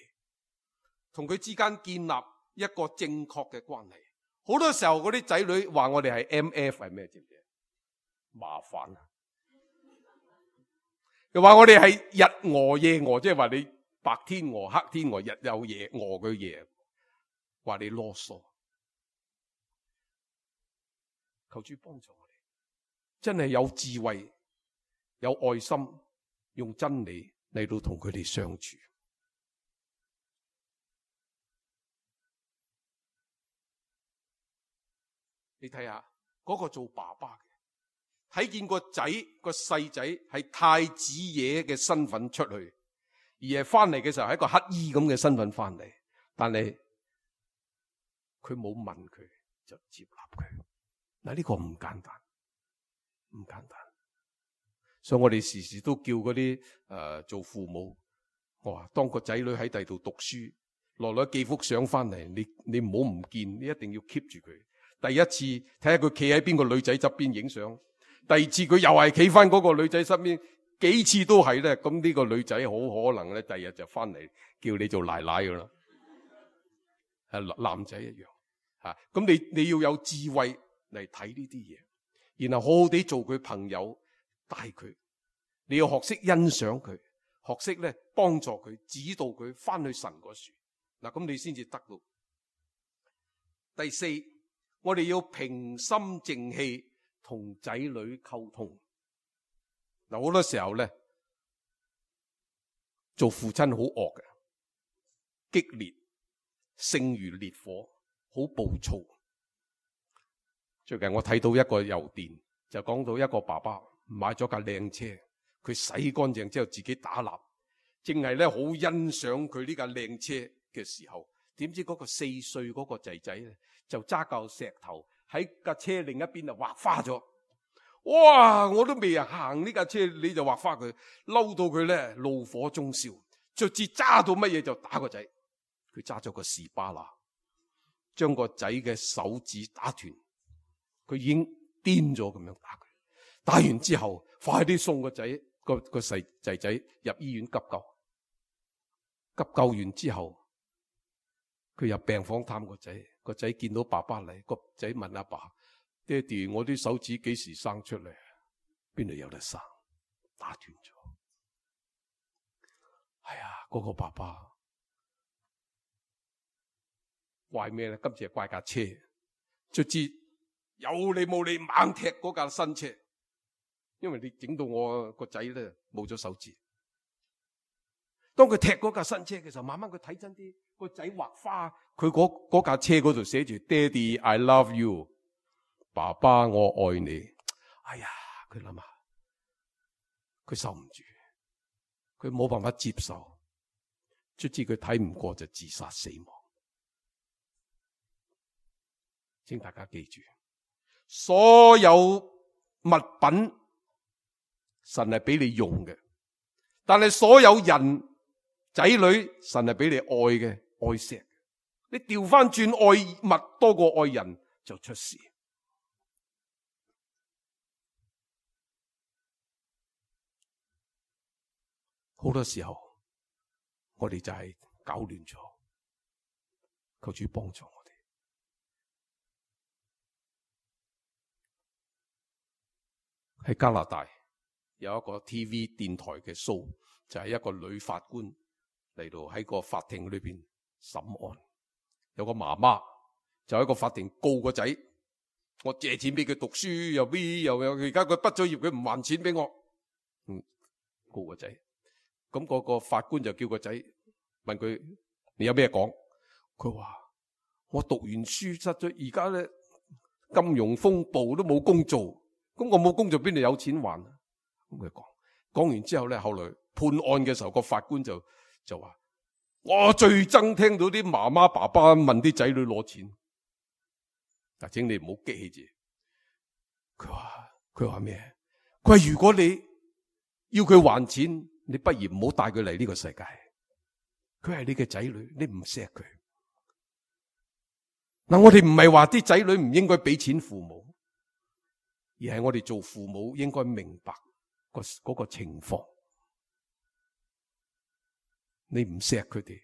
同佢之間建立一個正確嘅關係。好多時候嗰啲仔女話我哋係 MF 係咩？知唔知？麻煩啊！又話我哋係日餓夜餓，即係話你白天餓黑天餓，日有夜餓佢夜，話你囉嗦。求主幫助我哋，真係有智慧、有愛心，用真理嚟到同佢哋相處。你睇下嗰個做爸爸嘅，睇見個細仔係太子爺嘅身份出去，而係翻嚟嘅時候係一個乞衣咁嘅身份翻嚟，但係佢冇問佢就接納佢。嗱，呢個唔簡單，唔簡單。所以我哋時時都叫嗰啲做父母，我話當個仔女喺第度讀書，落寄幅相翻嚟，你唔好唔見，你一定要 keep 住佢。第一次睇下佢企喺邊個女仔側邊影相，第二次佢又係企翻嗰個女仔身邊，幾次都係咧。咁呢個女仔好可能咧，第日就翻嚟叫你做奶奶噶啦，係男仔一樣吓。咁你要有智慧嚟睇呢啲嘢，然後好好地做佢朋友，帶佢。你要學識欣賞佢，學識咧幫助佢，指導佢翻去神嗰處。嗱，咁你先至得到。第四，我哋要平心靜氣同仔女溝通。嗱，好多時候咧，做父親好惡嘅，激烈，性如烈火，好暴躁。最近我睇到一個郵電，就講到一個爸爸買咗架靚車，佢洗乾淨之後自己打蠟，正係咧好欣賞佢呢架靚車嘅時候，點知嗰個4歲嗰個仔仔咧就揸嚿石頭喺架車另一邊就畫花咗。哇！我都未行呢架車，你就畫花佢，嬲到佢咧怒火中燒，卒之揸到乜嘢就打個仔。佢揸咗個士巴拿，將個仔嘅手指打斷，佢已經癲咗咁樣打佢。打完之後，快啲送個仔個細仔仔入醫院急救。急救完之後，佢入病房探個仔，個仔見到爸爸嚟，個仔問阿爸：爹哋，我啲手指幾時生出嚟？邊度有得生？打斷咗。係啊，嗰個爸爸怪咩咧？今次係怪架車，卒之有理冇理猛踢嗰架新車，因為你整到我個仔咧冇咗手指。當佢踢嗰架新車嘅時候，慢慢佢睇真啲，個仔畫花，佢嗰架車嗰度寫住爹哋 I love you， 爸爸我愛你。哎呀，佢諗下，佢受唔住，佢冇辦法接受，卒之佢睇唔過就自殺死亡。請大家記住，所有物品神係俾你用嘅，但係所有人仔女神係俾你愛嘅，愛錫。你調翻轉愛物多過愛人就出事。好多時候我哋就係搞亂咗，求主幫助我哋。喺加拿大有一個 TV 電台嘅 show， 就係一個女法官嚟到喺個法庭裏邊審案。有個媽媽就喺個法庭告個仔，我借錢俾佢讀書又而家佢畢咗業佢唔還錢俾我，告個仔。咁嗰個法官就叫個仔問佢：你有咩講？佢話：我讀完書失咗，而家咧金融風暴都冇工做，咁我冇工做邊度有錢還啊？咁佢講完之後咧，後來判案嘅時候，個法官就話：我最憎聽到啲媽媽爸爸問啲仔女攞錢。嗱，請你唔好激氣住。佢話咩？佢話如果你要佢還錢，你不如唔好帶佢嚟呢個世界。佢係你嘅仔女，你唔錫佢。嗱，我哋唔係話啲仔女唔應該俾錢父母，而係我哋做父母應該明白嗰個情況。你唔錫佢哋，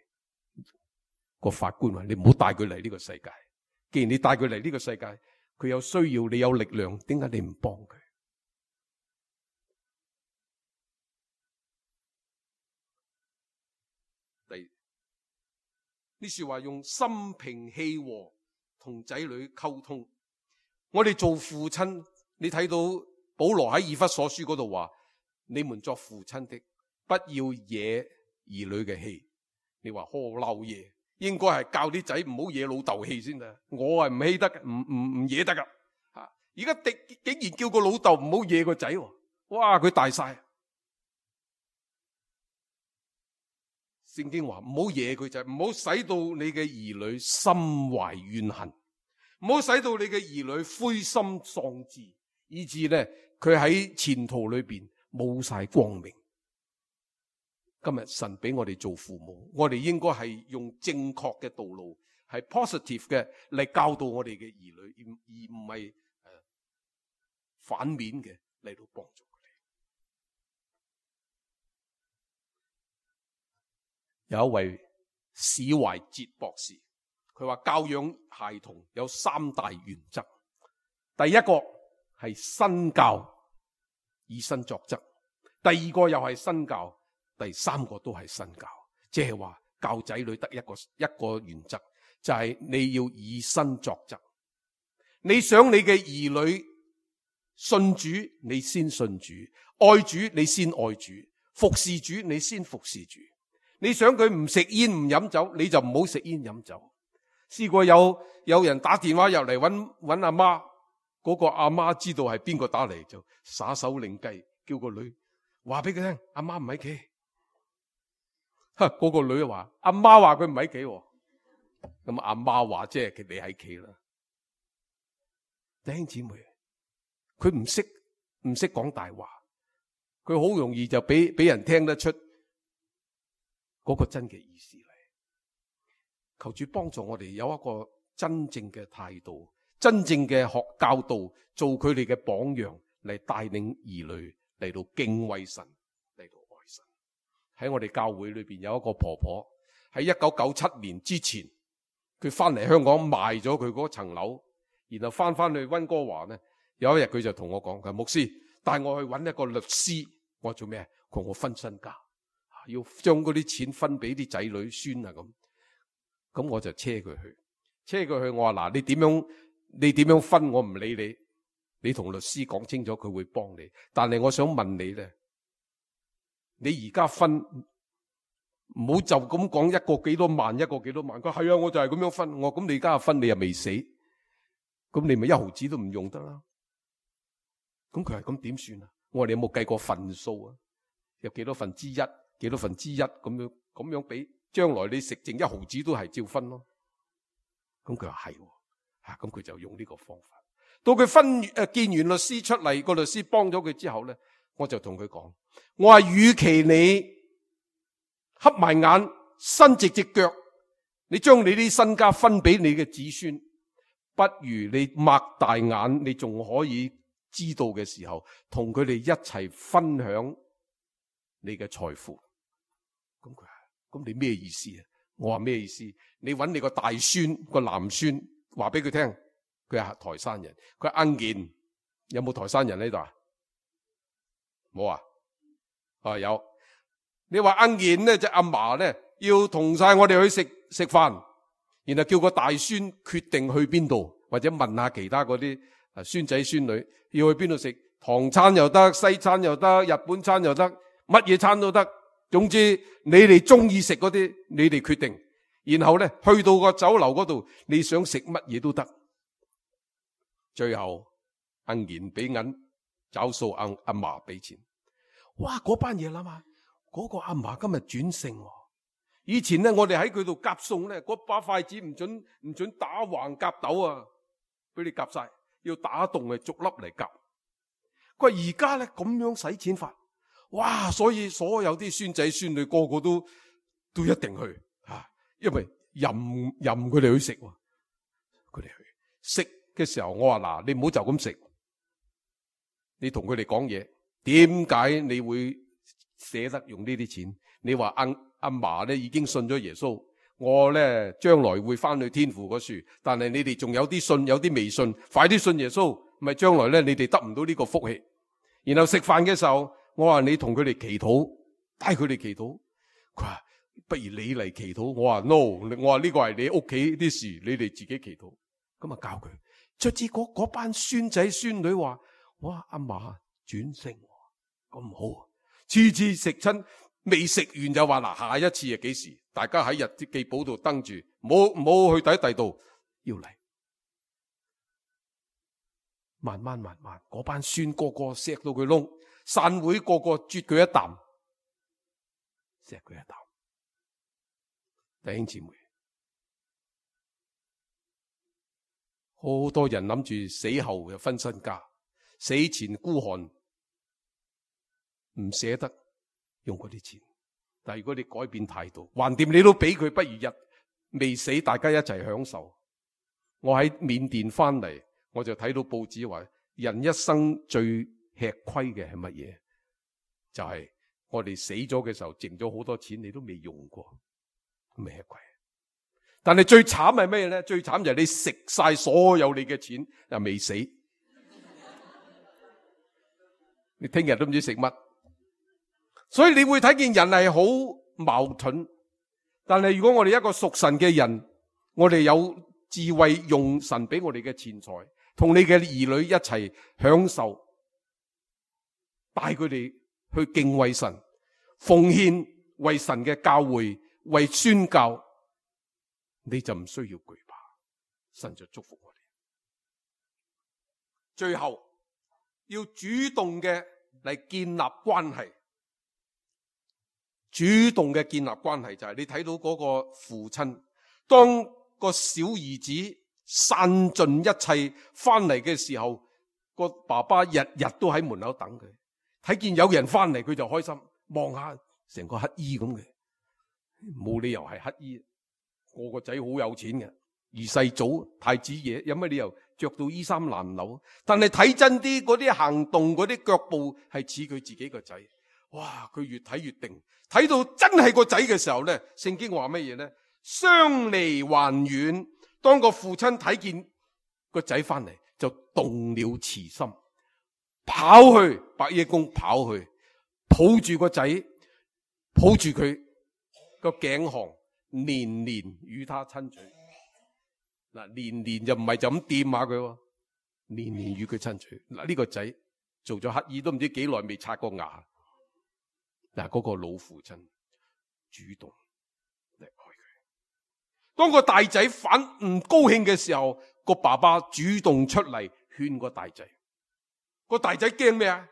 個法官話你唔好帶佢嚟呢個世界。既然你帶佢嚟呢個世界，佢有需要，你有力量，點解你唔幫佢？呢說話用心平氣和同仔女溝通。我哋做父親，你睇到保羅喺以弗所書嗰度話：你們作父親的，不要惹兒女嘅氣。你話何嬲嘢？應該係教啲仔唔好惹老豆氣先得。我係唔氣得，唔惹得噶。而家竟然叫個老豆唔好惹個仔，哇！佢大晒。聖經話唔好惹佢，就係唔好使到你嘅兒女心懷怨恨，唔好使到你嘅兒女灰心喪志，以致咧佢喺前途裏邊冇晒光明。今日神俾我哋做父母，我哋應該係用正確嘅道路，係 positive 嘅嚟教導我哋嘅兒女，而唔係反面嘅嚟到幫助佢哋。有一位史懷哲博士，佢話教養孩童有3大原則。第一個係身教，以身作則；第二個又係身教。第三個都係身教，即係話教仔女得一個原則，就係你要以身作則。你想你嘅兒女信主，你先信主；愛主，你先愛主；服侍主，你先服侍主。你想佢唔食煙唔飲酒，你就唔好食煙飲酒。試過有人打電話入嚟揾阿媽，嗰個阿媽知道係邊個打嚟，就耍手擰計，叫個女話俾佢聽，阿媽唔喺企。嗰個女話阿媽話佢唔喺企，咁阿媽話即係你喺企啦。弟兄姊妹，佢唔識講大話，佢好容易就俾人聽得出嗰個真嘅意思嚟。求主幫助我哋有一個真正嘅態度，真正嘅教導，做佢哋嘅榜樣，嚟帶領兒女嚟到敬畏神，嚟到愛神。喺我哋教會裏邊有一個婆婆，喺1997年之前，佢翻嚟香港賣咗佢嗰層樓，然後翻去溫哥華呢。有一日佢就同我講，佢話牧師帶我去揾一個律師。我話做咩？佢話我分身家，要將嗰啲錢分俾啲仔女孫啊咁。咁我就車佢去。我話嗱，你點樣分我唔理你，你同律師講清楚，佢會幫你。但係我想問你咧，你而家分唔好就咁講一個幾多萬，一個幾多萬。佢係啊，我就係咁樣分。我咁你而家分，你又未死，咁你咪一毫子都唔用得啦。咁佢係咁點算啊？我話你有冇計過份數啊？有幾多分之一，幾多分之一咁樣俾，將來你食剩一毫子都係照分咯。咁佢話係，咁佢就用呢個方法。到佢見完律師出嚟，個律師幫咗佢之後咧，我就同佢講，我話與其你瞌埋眼伸直隻腳，你將你啲身家分俾你嘅子孫，不如你擘大眼，你仲可以知道嘅時候，同佢哋一齊分享你嘅財富。咁佢話，咁你咩意思啊？我話咩意思？你揾你個大孫個男孫話俾佢聽，佢係台山人。佢話奀健，有冇台山人呢度啊？冇啊？有。你話奀健呢，隻阿嫲咧要同晒我哋去食飯，然後叫個大孫決定去邊度，或者問下其他嗰啲孫仔孫女要去邊度食，唐餐又得，西餐又得，日本餐又得，乜嘢餐都得。總之你哋中意食嗰啲，你哋決定。然後咧去到個酒樓嗰度，你想食乜嘢都得。最後奀健俾銀找數，阿嫲俾錢。哇！嗰班嘢諗下，嗰個阿嫲今日轉性。以前咧我哋喺佢度夾餸咧，嗰把筷子唔准打橫夾斗啊，俾你夾晒，要打洞係逐粒嚟夾。佢話而家咧咁樣使錢法，哇！所以所有啲孫仔孫女個個都一定去吓，因為任佢哋去食，佢哋去食嘅時候，我話嗱，你唔好就咁食，你同佢哋講嘢，點解你會捨得用呢啲錢？你話阿嫲咧已經信咗耶穌，我咧將來會翻去天父嗰處，但係你哋仲有啲信，有啲未信，快啲信耶穌，咪將來咧你哋得唔到呢個福氣。然後食飯嘅時候，我話你同佢哋祈禱，帶佢哋祈禱。佢話不如你嚟祈禱。我話 no， 我話呢個係你屋企啲事，你哋自己祈禱。咁啊教佢。卒之嗰班孫仔孫女話：哇，阿嫲轉性咁好，次次食親未食完就話嗱，下一次係幾時？大家喺日記簿度登住，唔好去第度要嚟。慢慢，嗰班孫個個錫到佢窿，散會個個啜佢一啖，錫佢一啖。弟兄姊妹，好多人諗住死後又分身家，死前孤寒，唔捨得用嗰啲錢。但係如果你改變態度，橫掂你都俾佢，不如日未死，大家一齊享受。我喺緬甸翻嚟，我就睇到報紙話，人一生最吃虧嘅係乜嘢？就係我哋死咗嘅時候，剩咗好多錢，你都未用過，未吃虧。但係最慘係咩咧？最慘就係你食晒所有你嘅錢，又未死，你聽日都唔知食乜。所以你會睇見人係好矛盾。但係如果我哋一個屬神嘅人，我哋有智慧，用神俾我哋嘅錢財，同你嘅兒女一齊享受，帶佢哋去敬畏神，奉獻為神嘅教會，為宣教，你就唔需要懼怕，神就祝福我哋。最後要主動嘅嚟建立關係。主動嘅建立關係就係你睇到嗰個父親，當個小兒子散盡一切翻嚟嘅時候，個爸爸日日都喺門口等佢，睇見有人翻嚟佢就開心，望下成個乞衣咁嘅，冇理由係乞衣，個仔好有錢嘅，二世祖太子爺，有乜理由着到衣衫襤褸？但係睇真啲，嗰啲行動嗰啲腳步係似佢自己個仔。哇！佢越睇越定，睇到真係個仔嘅時候咧，聖經話乜嘢咧？相離還遠。當個父親睇見個仔翻嚟，就動了慈心，跑去伯耶公，跑去抱住個仔，抱住佢個頸項，連連與他親嘴。嗱，連連就唔係就咁掂下佢，連連與佢親嘴。嗱，呢個仔做咗乞兒都唔知幾耐未刷過牙。嗱，嗰個老父親主動嚟愛佢。當個大仔反唔高興嘅時候，個爸爸主動出嚟勸個大仔。個大仔驚咩啊？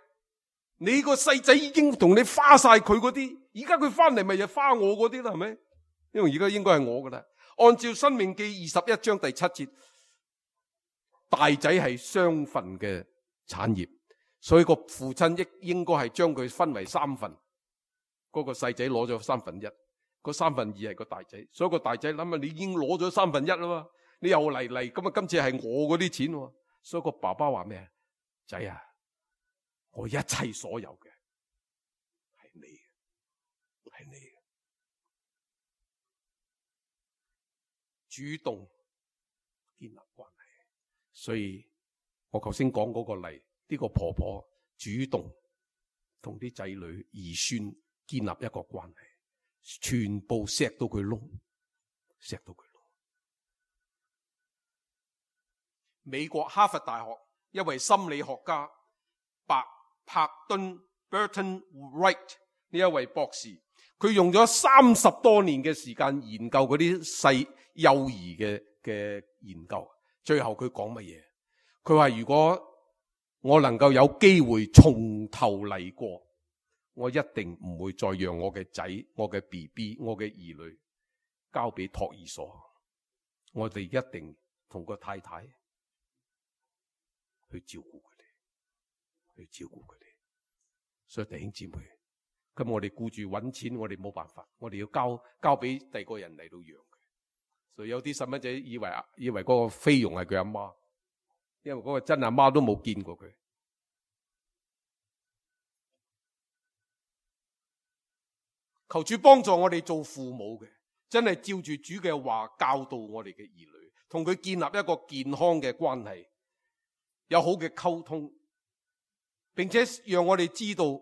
你個細仔已經同你花晒佢嗰啲，而家佢翻嚟咪就花我嗰啲啦，係咪？因為而家應該係我噶啦。按照《申命記》21章第7節，大仔係雙份嘅產業，所以個父親應該係將佢分為3份。嗰個細仔攞咗1/3，嗰2/3係個大仔，所以個大仔諗下，你已經攞咗1/3啦嘛，你又嚟咁啊，今次係我嗰啲錢，所以個爸爸話咩啊？仔啊，我一切所有嘅係你嘅，係你嘅。主動建立關係，所以我頭先講嗰個例，呢個婆婆主動同啲仔女兒孫建立一個關係，全部錫到佢窿，錫到佢窿。美國哈佛大學一位心理學家柏頓 Burton Wright 呢一位博士，佢用咗30多年嘅時間研究嗰啲細幼兒嘅研究，最後佢講乜嘢？佢話如果我能夠有機會從頭嚟過，我一定唔會再讓我嘅仔、我嘅 BB、我嘅兒女交俾托兒所。我哋一定同個太太去照顧佢哋，去照顧佢哋。所以弟兄姊妹，咁我哋顧住搵錢，我哋冇辦法，我哋要交俾第二個人嚟到養佢。所以有啲細蚊仔以為嗰個菲傭係佢阿媽，因為嗰個真阿媽都冇見過佢。求主幫助我哋做父母嘅，真係照住主嘅話教導我哋嘅兒女，同佢建立一個健康嘅關係，有好嘅溝通，並且讓我哋知道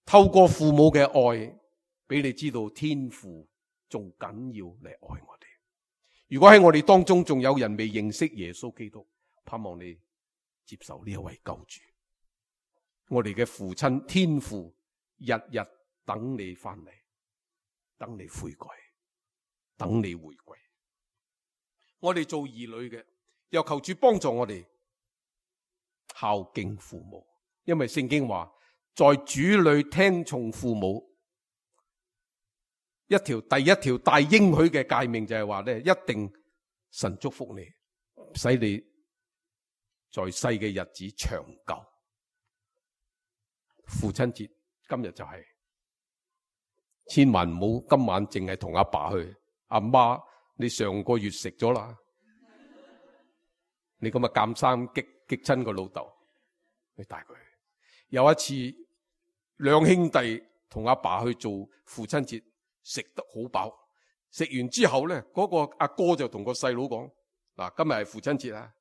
透過父母嘅愛，俾你知道天父仲緊要嚟愛我哋。如果喺我哋當中仲有人未認識耶穌基督，盼望你接受呢一位救主。我哋嘅父親天父日日等你翻嚟，等你悔改，等你回歸。我哋做兒女嘅，又求主幫助我哋孝敬父母，因為聖經話，在主裏聽從父母，第一條大應許嘅誡命就係話咧，一定神祝福你，使你在世嘅日子長久。父親節今日就係。千萬唔好今晚淨係同阿爸去，阿媽你上個月食咗啦，你咁啊監生激親個老豆，你帶佢去。有一次兩兄弟同阿爸去做父親節，食得好飽，食完之後咧，嗰個阿哥就同個細佬講：嗱，今日係父親節啊，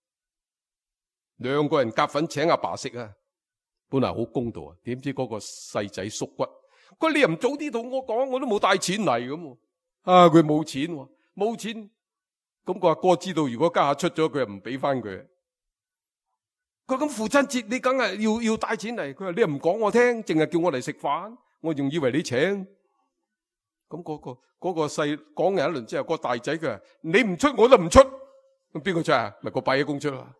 兩個人夾份請阿爸食啊，本來好公道啊，點知嗰個細仔縮骨。佢你又唔早啲同我講，我都冇帶錢嚟咁。啊，佢冇錢，冇錢。咁個阿哥知道，如果家下出咗，佢又唔俾翻佢。佢咁父親節，你梗係要帶錢嚟。佢話你又唔講我聽，淨係叫我嚟食飯，我仲以為你請。咁嗰個細講完一輪之後，個大仔佢話你唔出我都唔出。咁邊個出啊？咪個伯爺公出啦。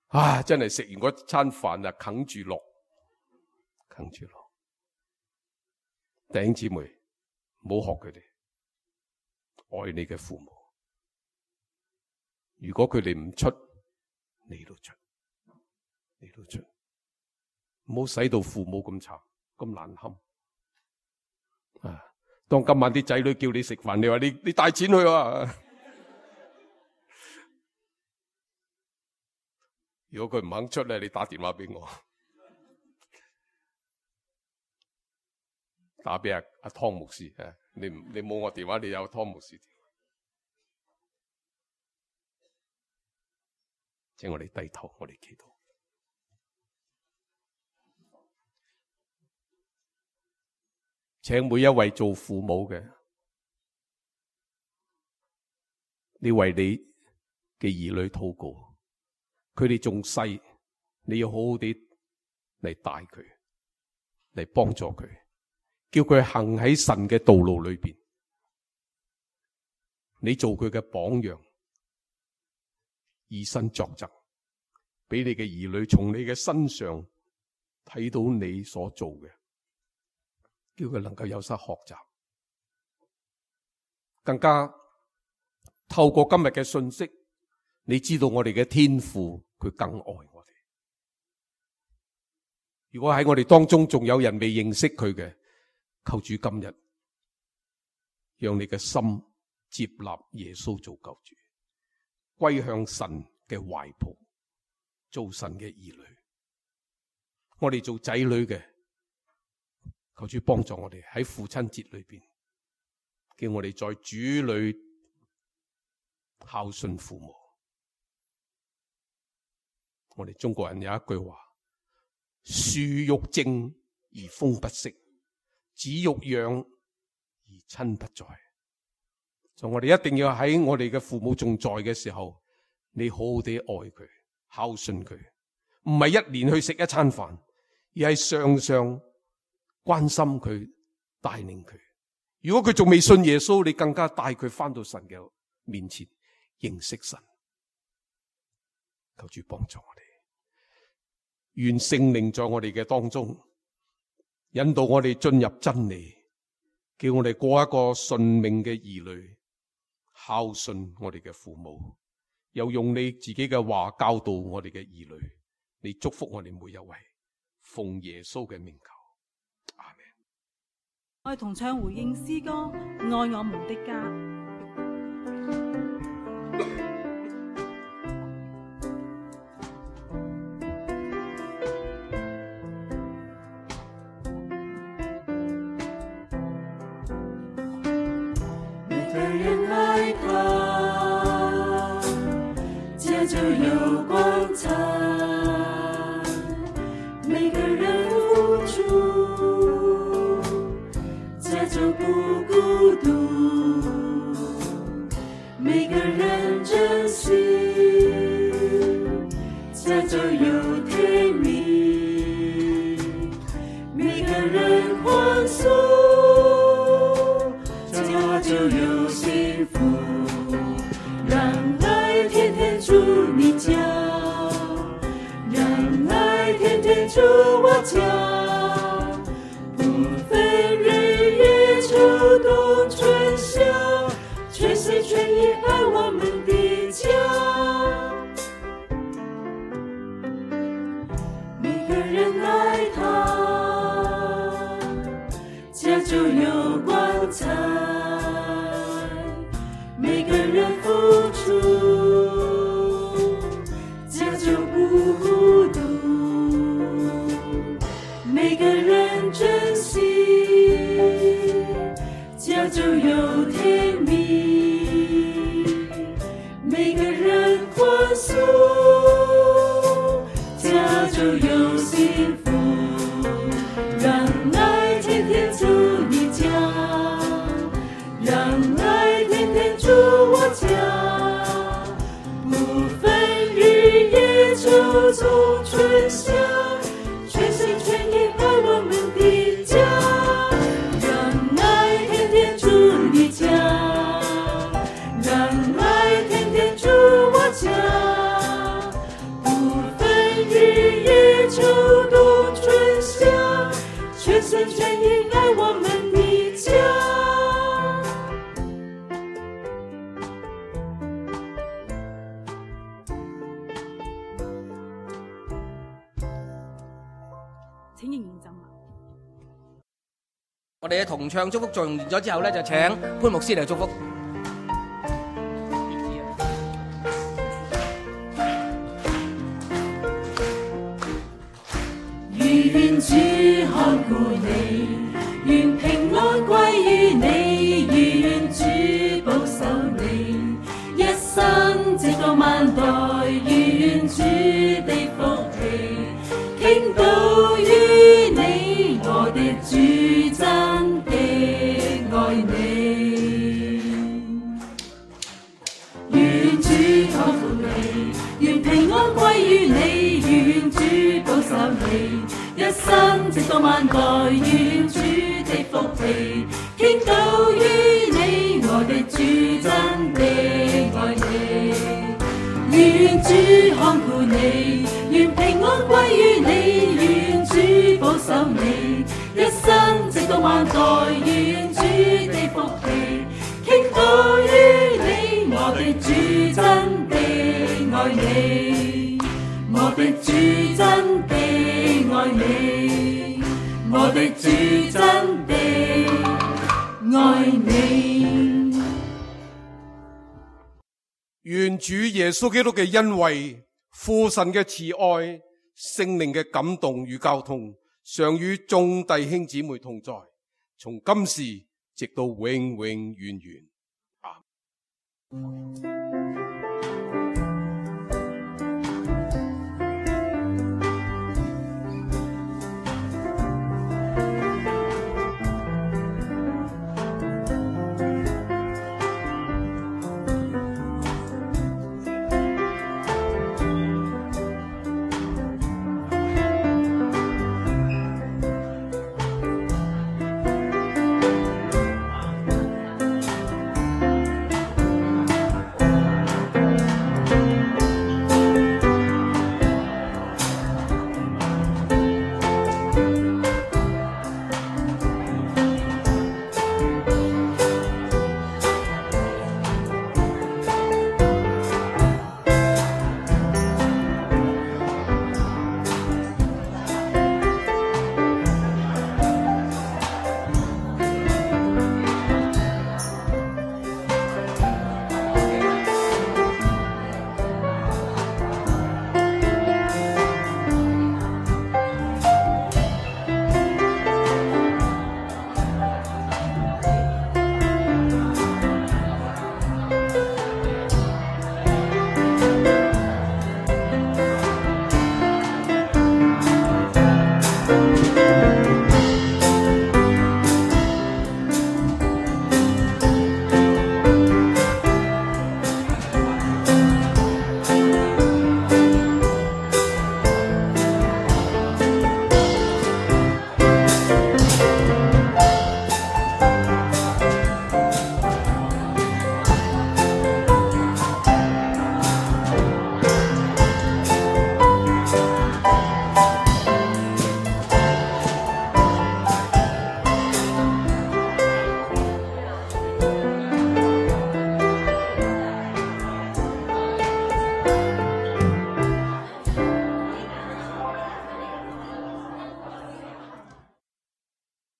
啊，真係食完嗰餐飯啊，啃住落。弟兄姊妹，唔好學佢哋，愛你嘅父母。如果佢哋唔出，你都出，唔好使到父母咁慘，咁難堪。啊，當今晚啲仔女叫你食飯，你話你帶錢去啊？如果佢唔肯出咧，你打電話俾我。打俾阿湯牧師，你冇我電話，你有湯牧師。請我哋低頭，我哋祈禱。請每一位做父母嘅，你為你嘅兒女禱告，佢哋仲細，你要好好啲嚟帶佢，嚟幫助佢。叫佢行喺神嘅道路裏邊，你做佢嘅榜樣，以身作則，俾你嘅兒女從你嘅身上睇到你所做嘅，叫佢能夠有所學習，更加透過今日嘅信息，你知道我哋嘅天父佢更愛我哋。如果喺我哋當中仲有人未認識佢嘅，求主今日讓你嘅心接納耶穌做救主，歸向神嘅懷抱，做神嘅兒女。我哋做仔女嘅，求主幫助我哋喺父親節裏邊，叫我哋在主裏孝順父母。我哋中國人有一句話：樹欲靜而風不息，子欲養而親不在。所以我哋一定要喺我哋嘅父母仲在嘅時候，你好好地愛佢，孝順佢，唔係一年去食一餐飯，而係常常關心佢，帶領佢。如果佢仲未信耶穌，你更加帶佢翻到神嘅面前認識神。求主幫助我哋，願聖靈在我哋嘅當中引導我哋進入真理，叫我哋過一個順命嘅兒女，孝順我哋嘅父母，又用你自己嘅話教導我哋嘅兒女。你祝福我哋每一位，奉耶穌嘅名求，阿們。我哋同唱回應詩歌《愛我們的家》。就有光彩，每个人付出，家就不孤独，每个人珍惜，家就有甜蜜，每个人欢送，家就有幸福，让爱天天住你家，让爱天天住我家，不分日夜秋冬春夏，全心全意爱我们的家。每个人爱他，家就有光彩，每个人付出，家就不孤独，每个人珍惜，家就有甜蜜，每个人欢送，家就有幸福，让爱天天住你家，我哋嘅同唱祝福作用完咗之後咧，就請潘牧師嚟祝福。願主看顧你，願平安歸於你，願主保守你，一生直到萬代，願主的福氣傾倒於你，我的主真的愛你。願主看顧你，願平安歸於你，願主保守你，一生直到萬代，願主的福氣傾倒於你，我的主真的愛你。願主看顧你，願平安歸於你，願主保守你，一生直到萬代，願主的福氣傾倒於你，我的主真的愛你，我的主真的愛你，我的主真的愛你。願主耶穌基督嘅恩惠、父神嘅慈愛、聖靈嘅感動與交通，常與眾弟兄姊妹同在，從今時直到永永遠遠。阿們。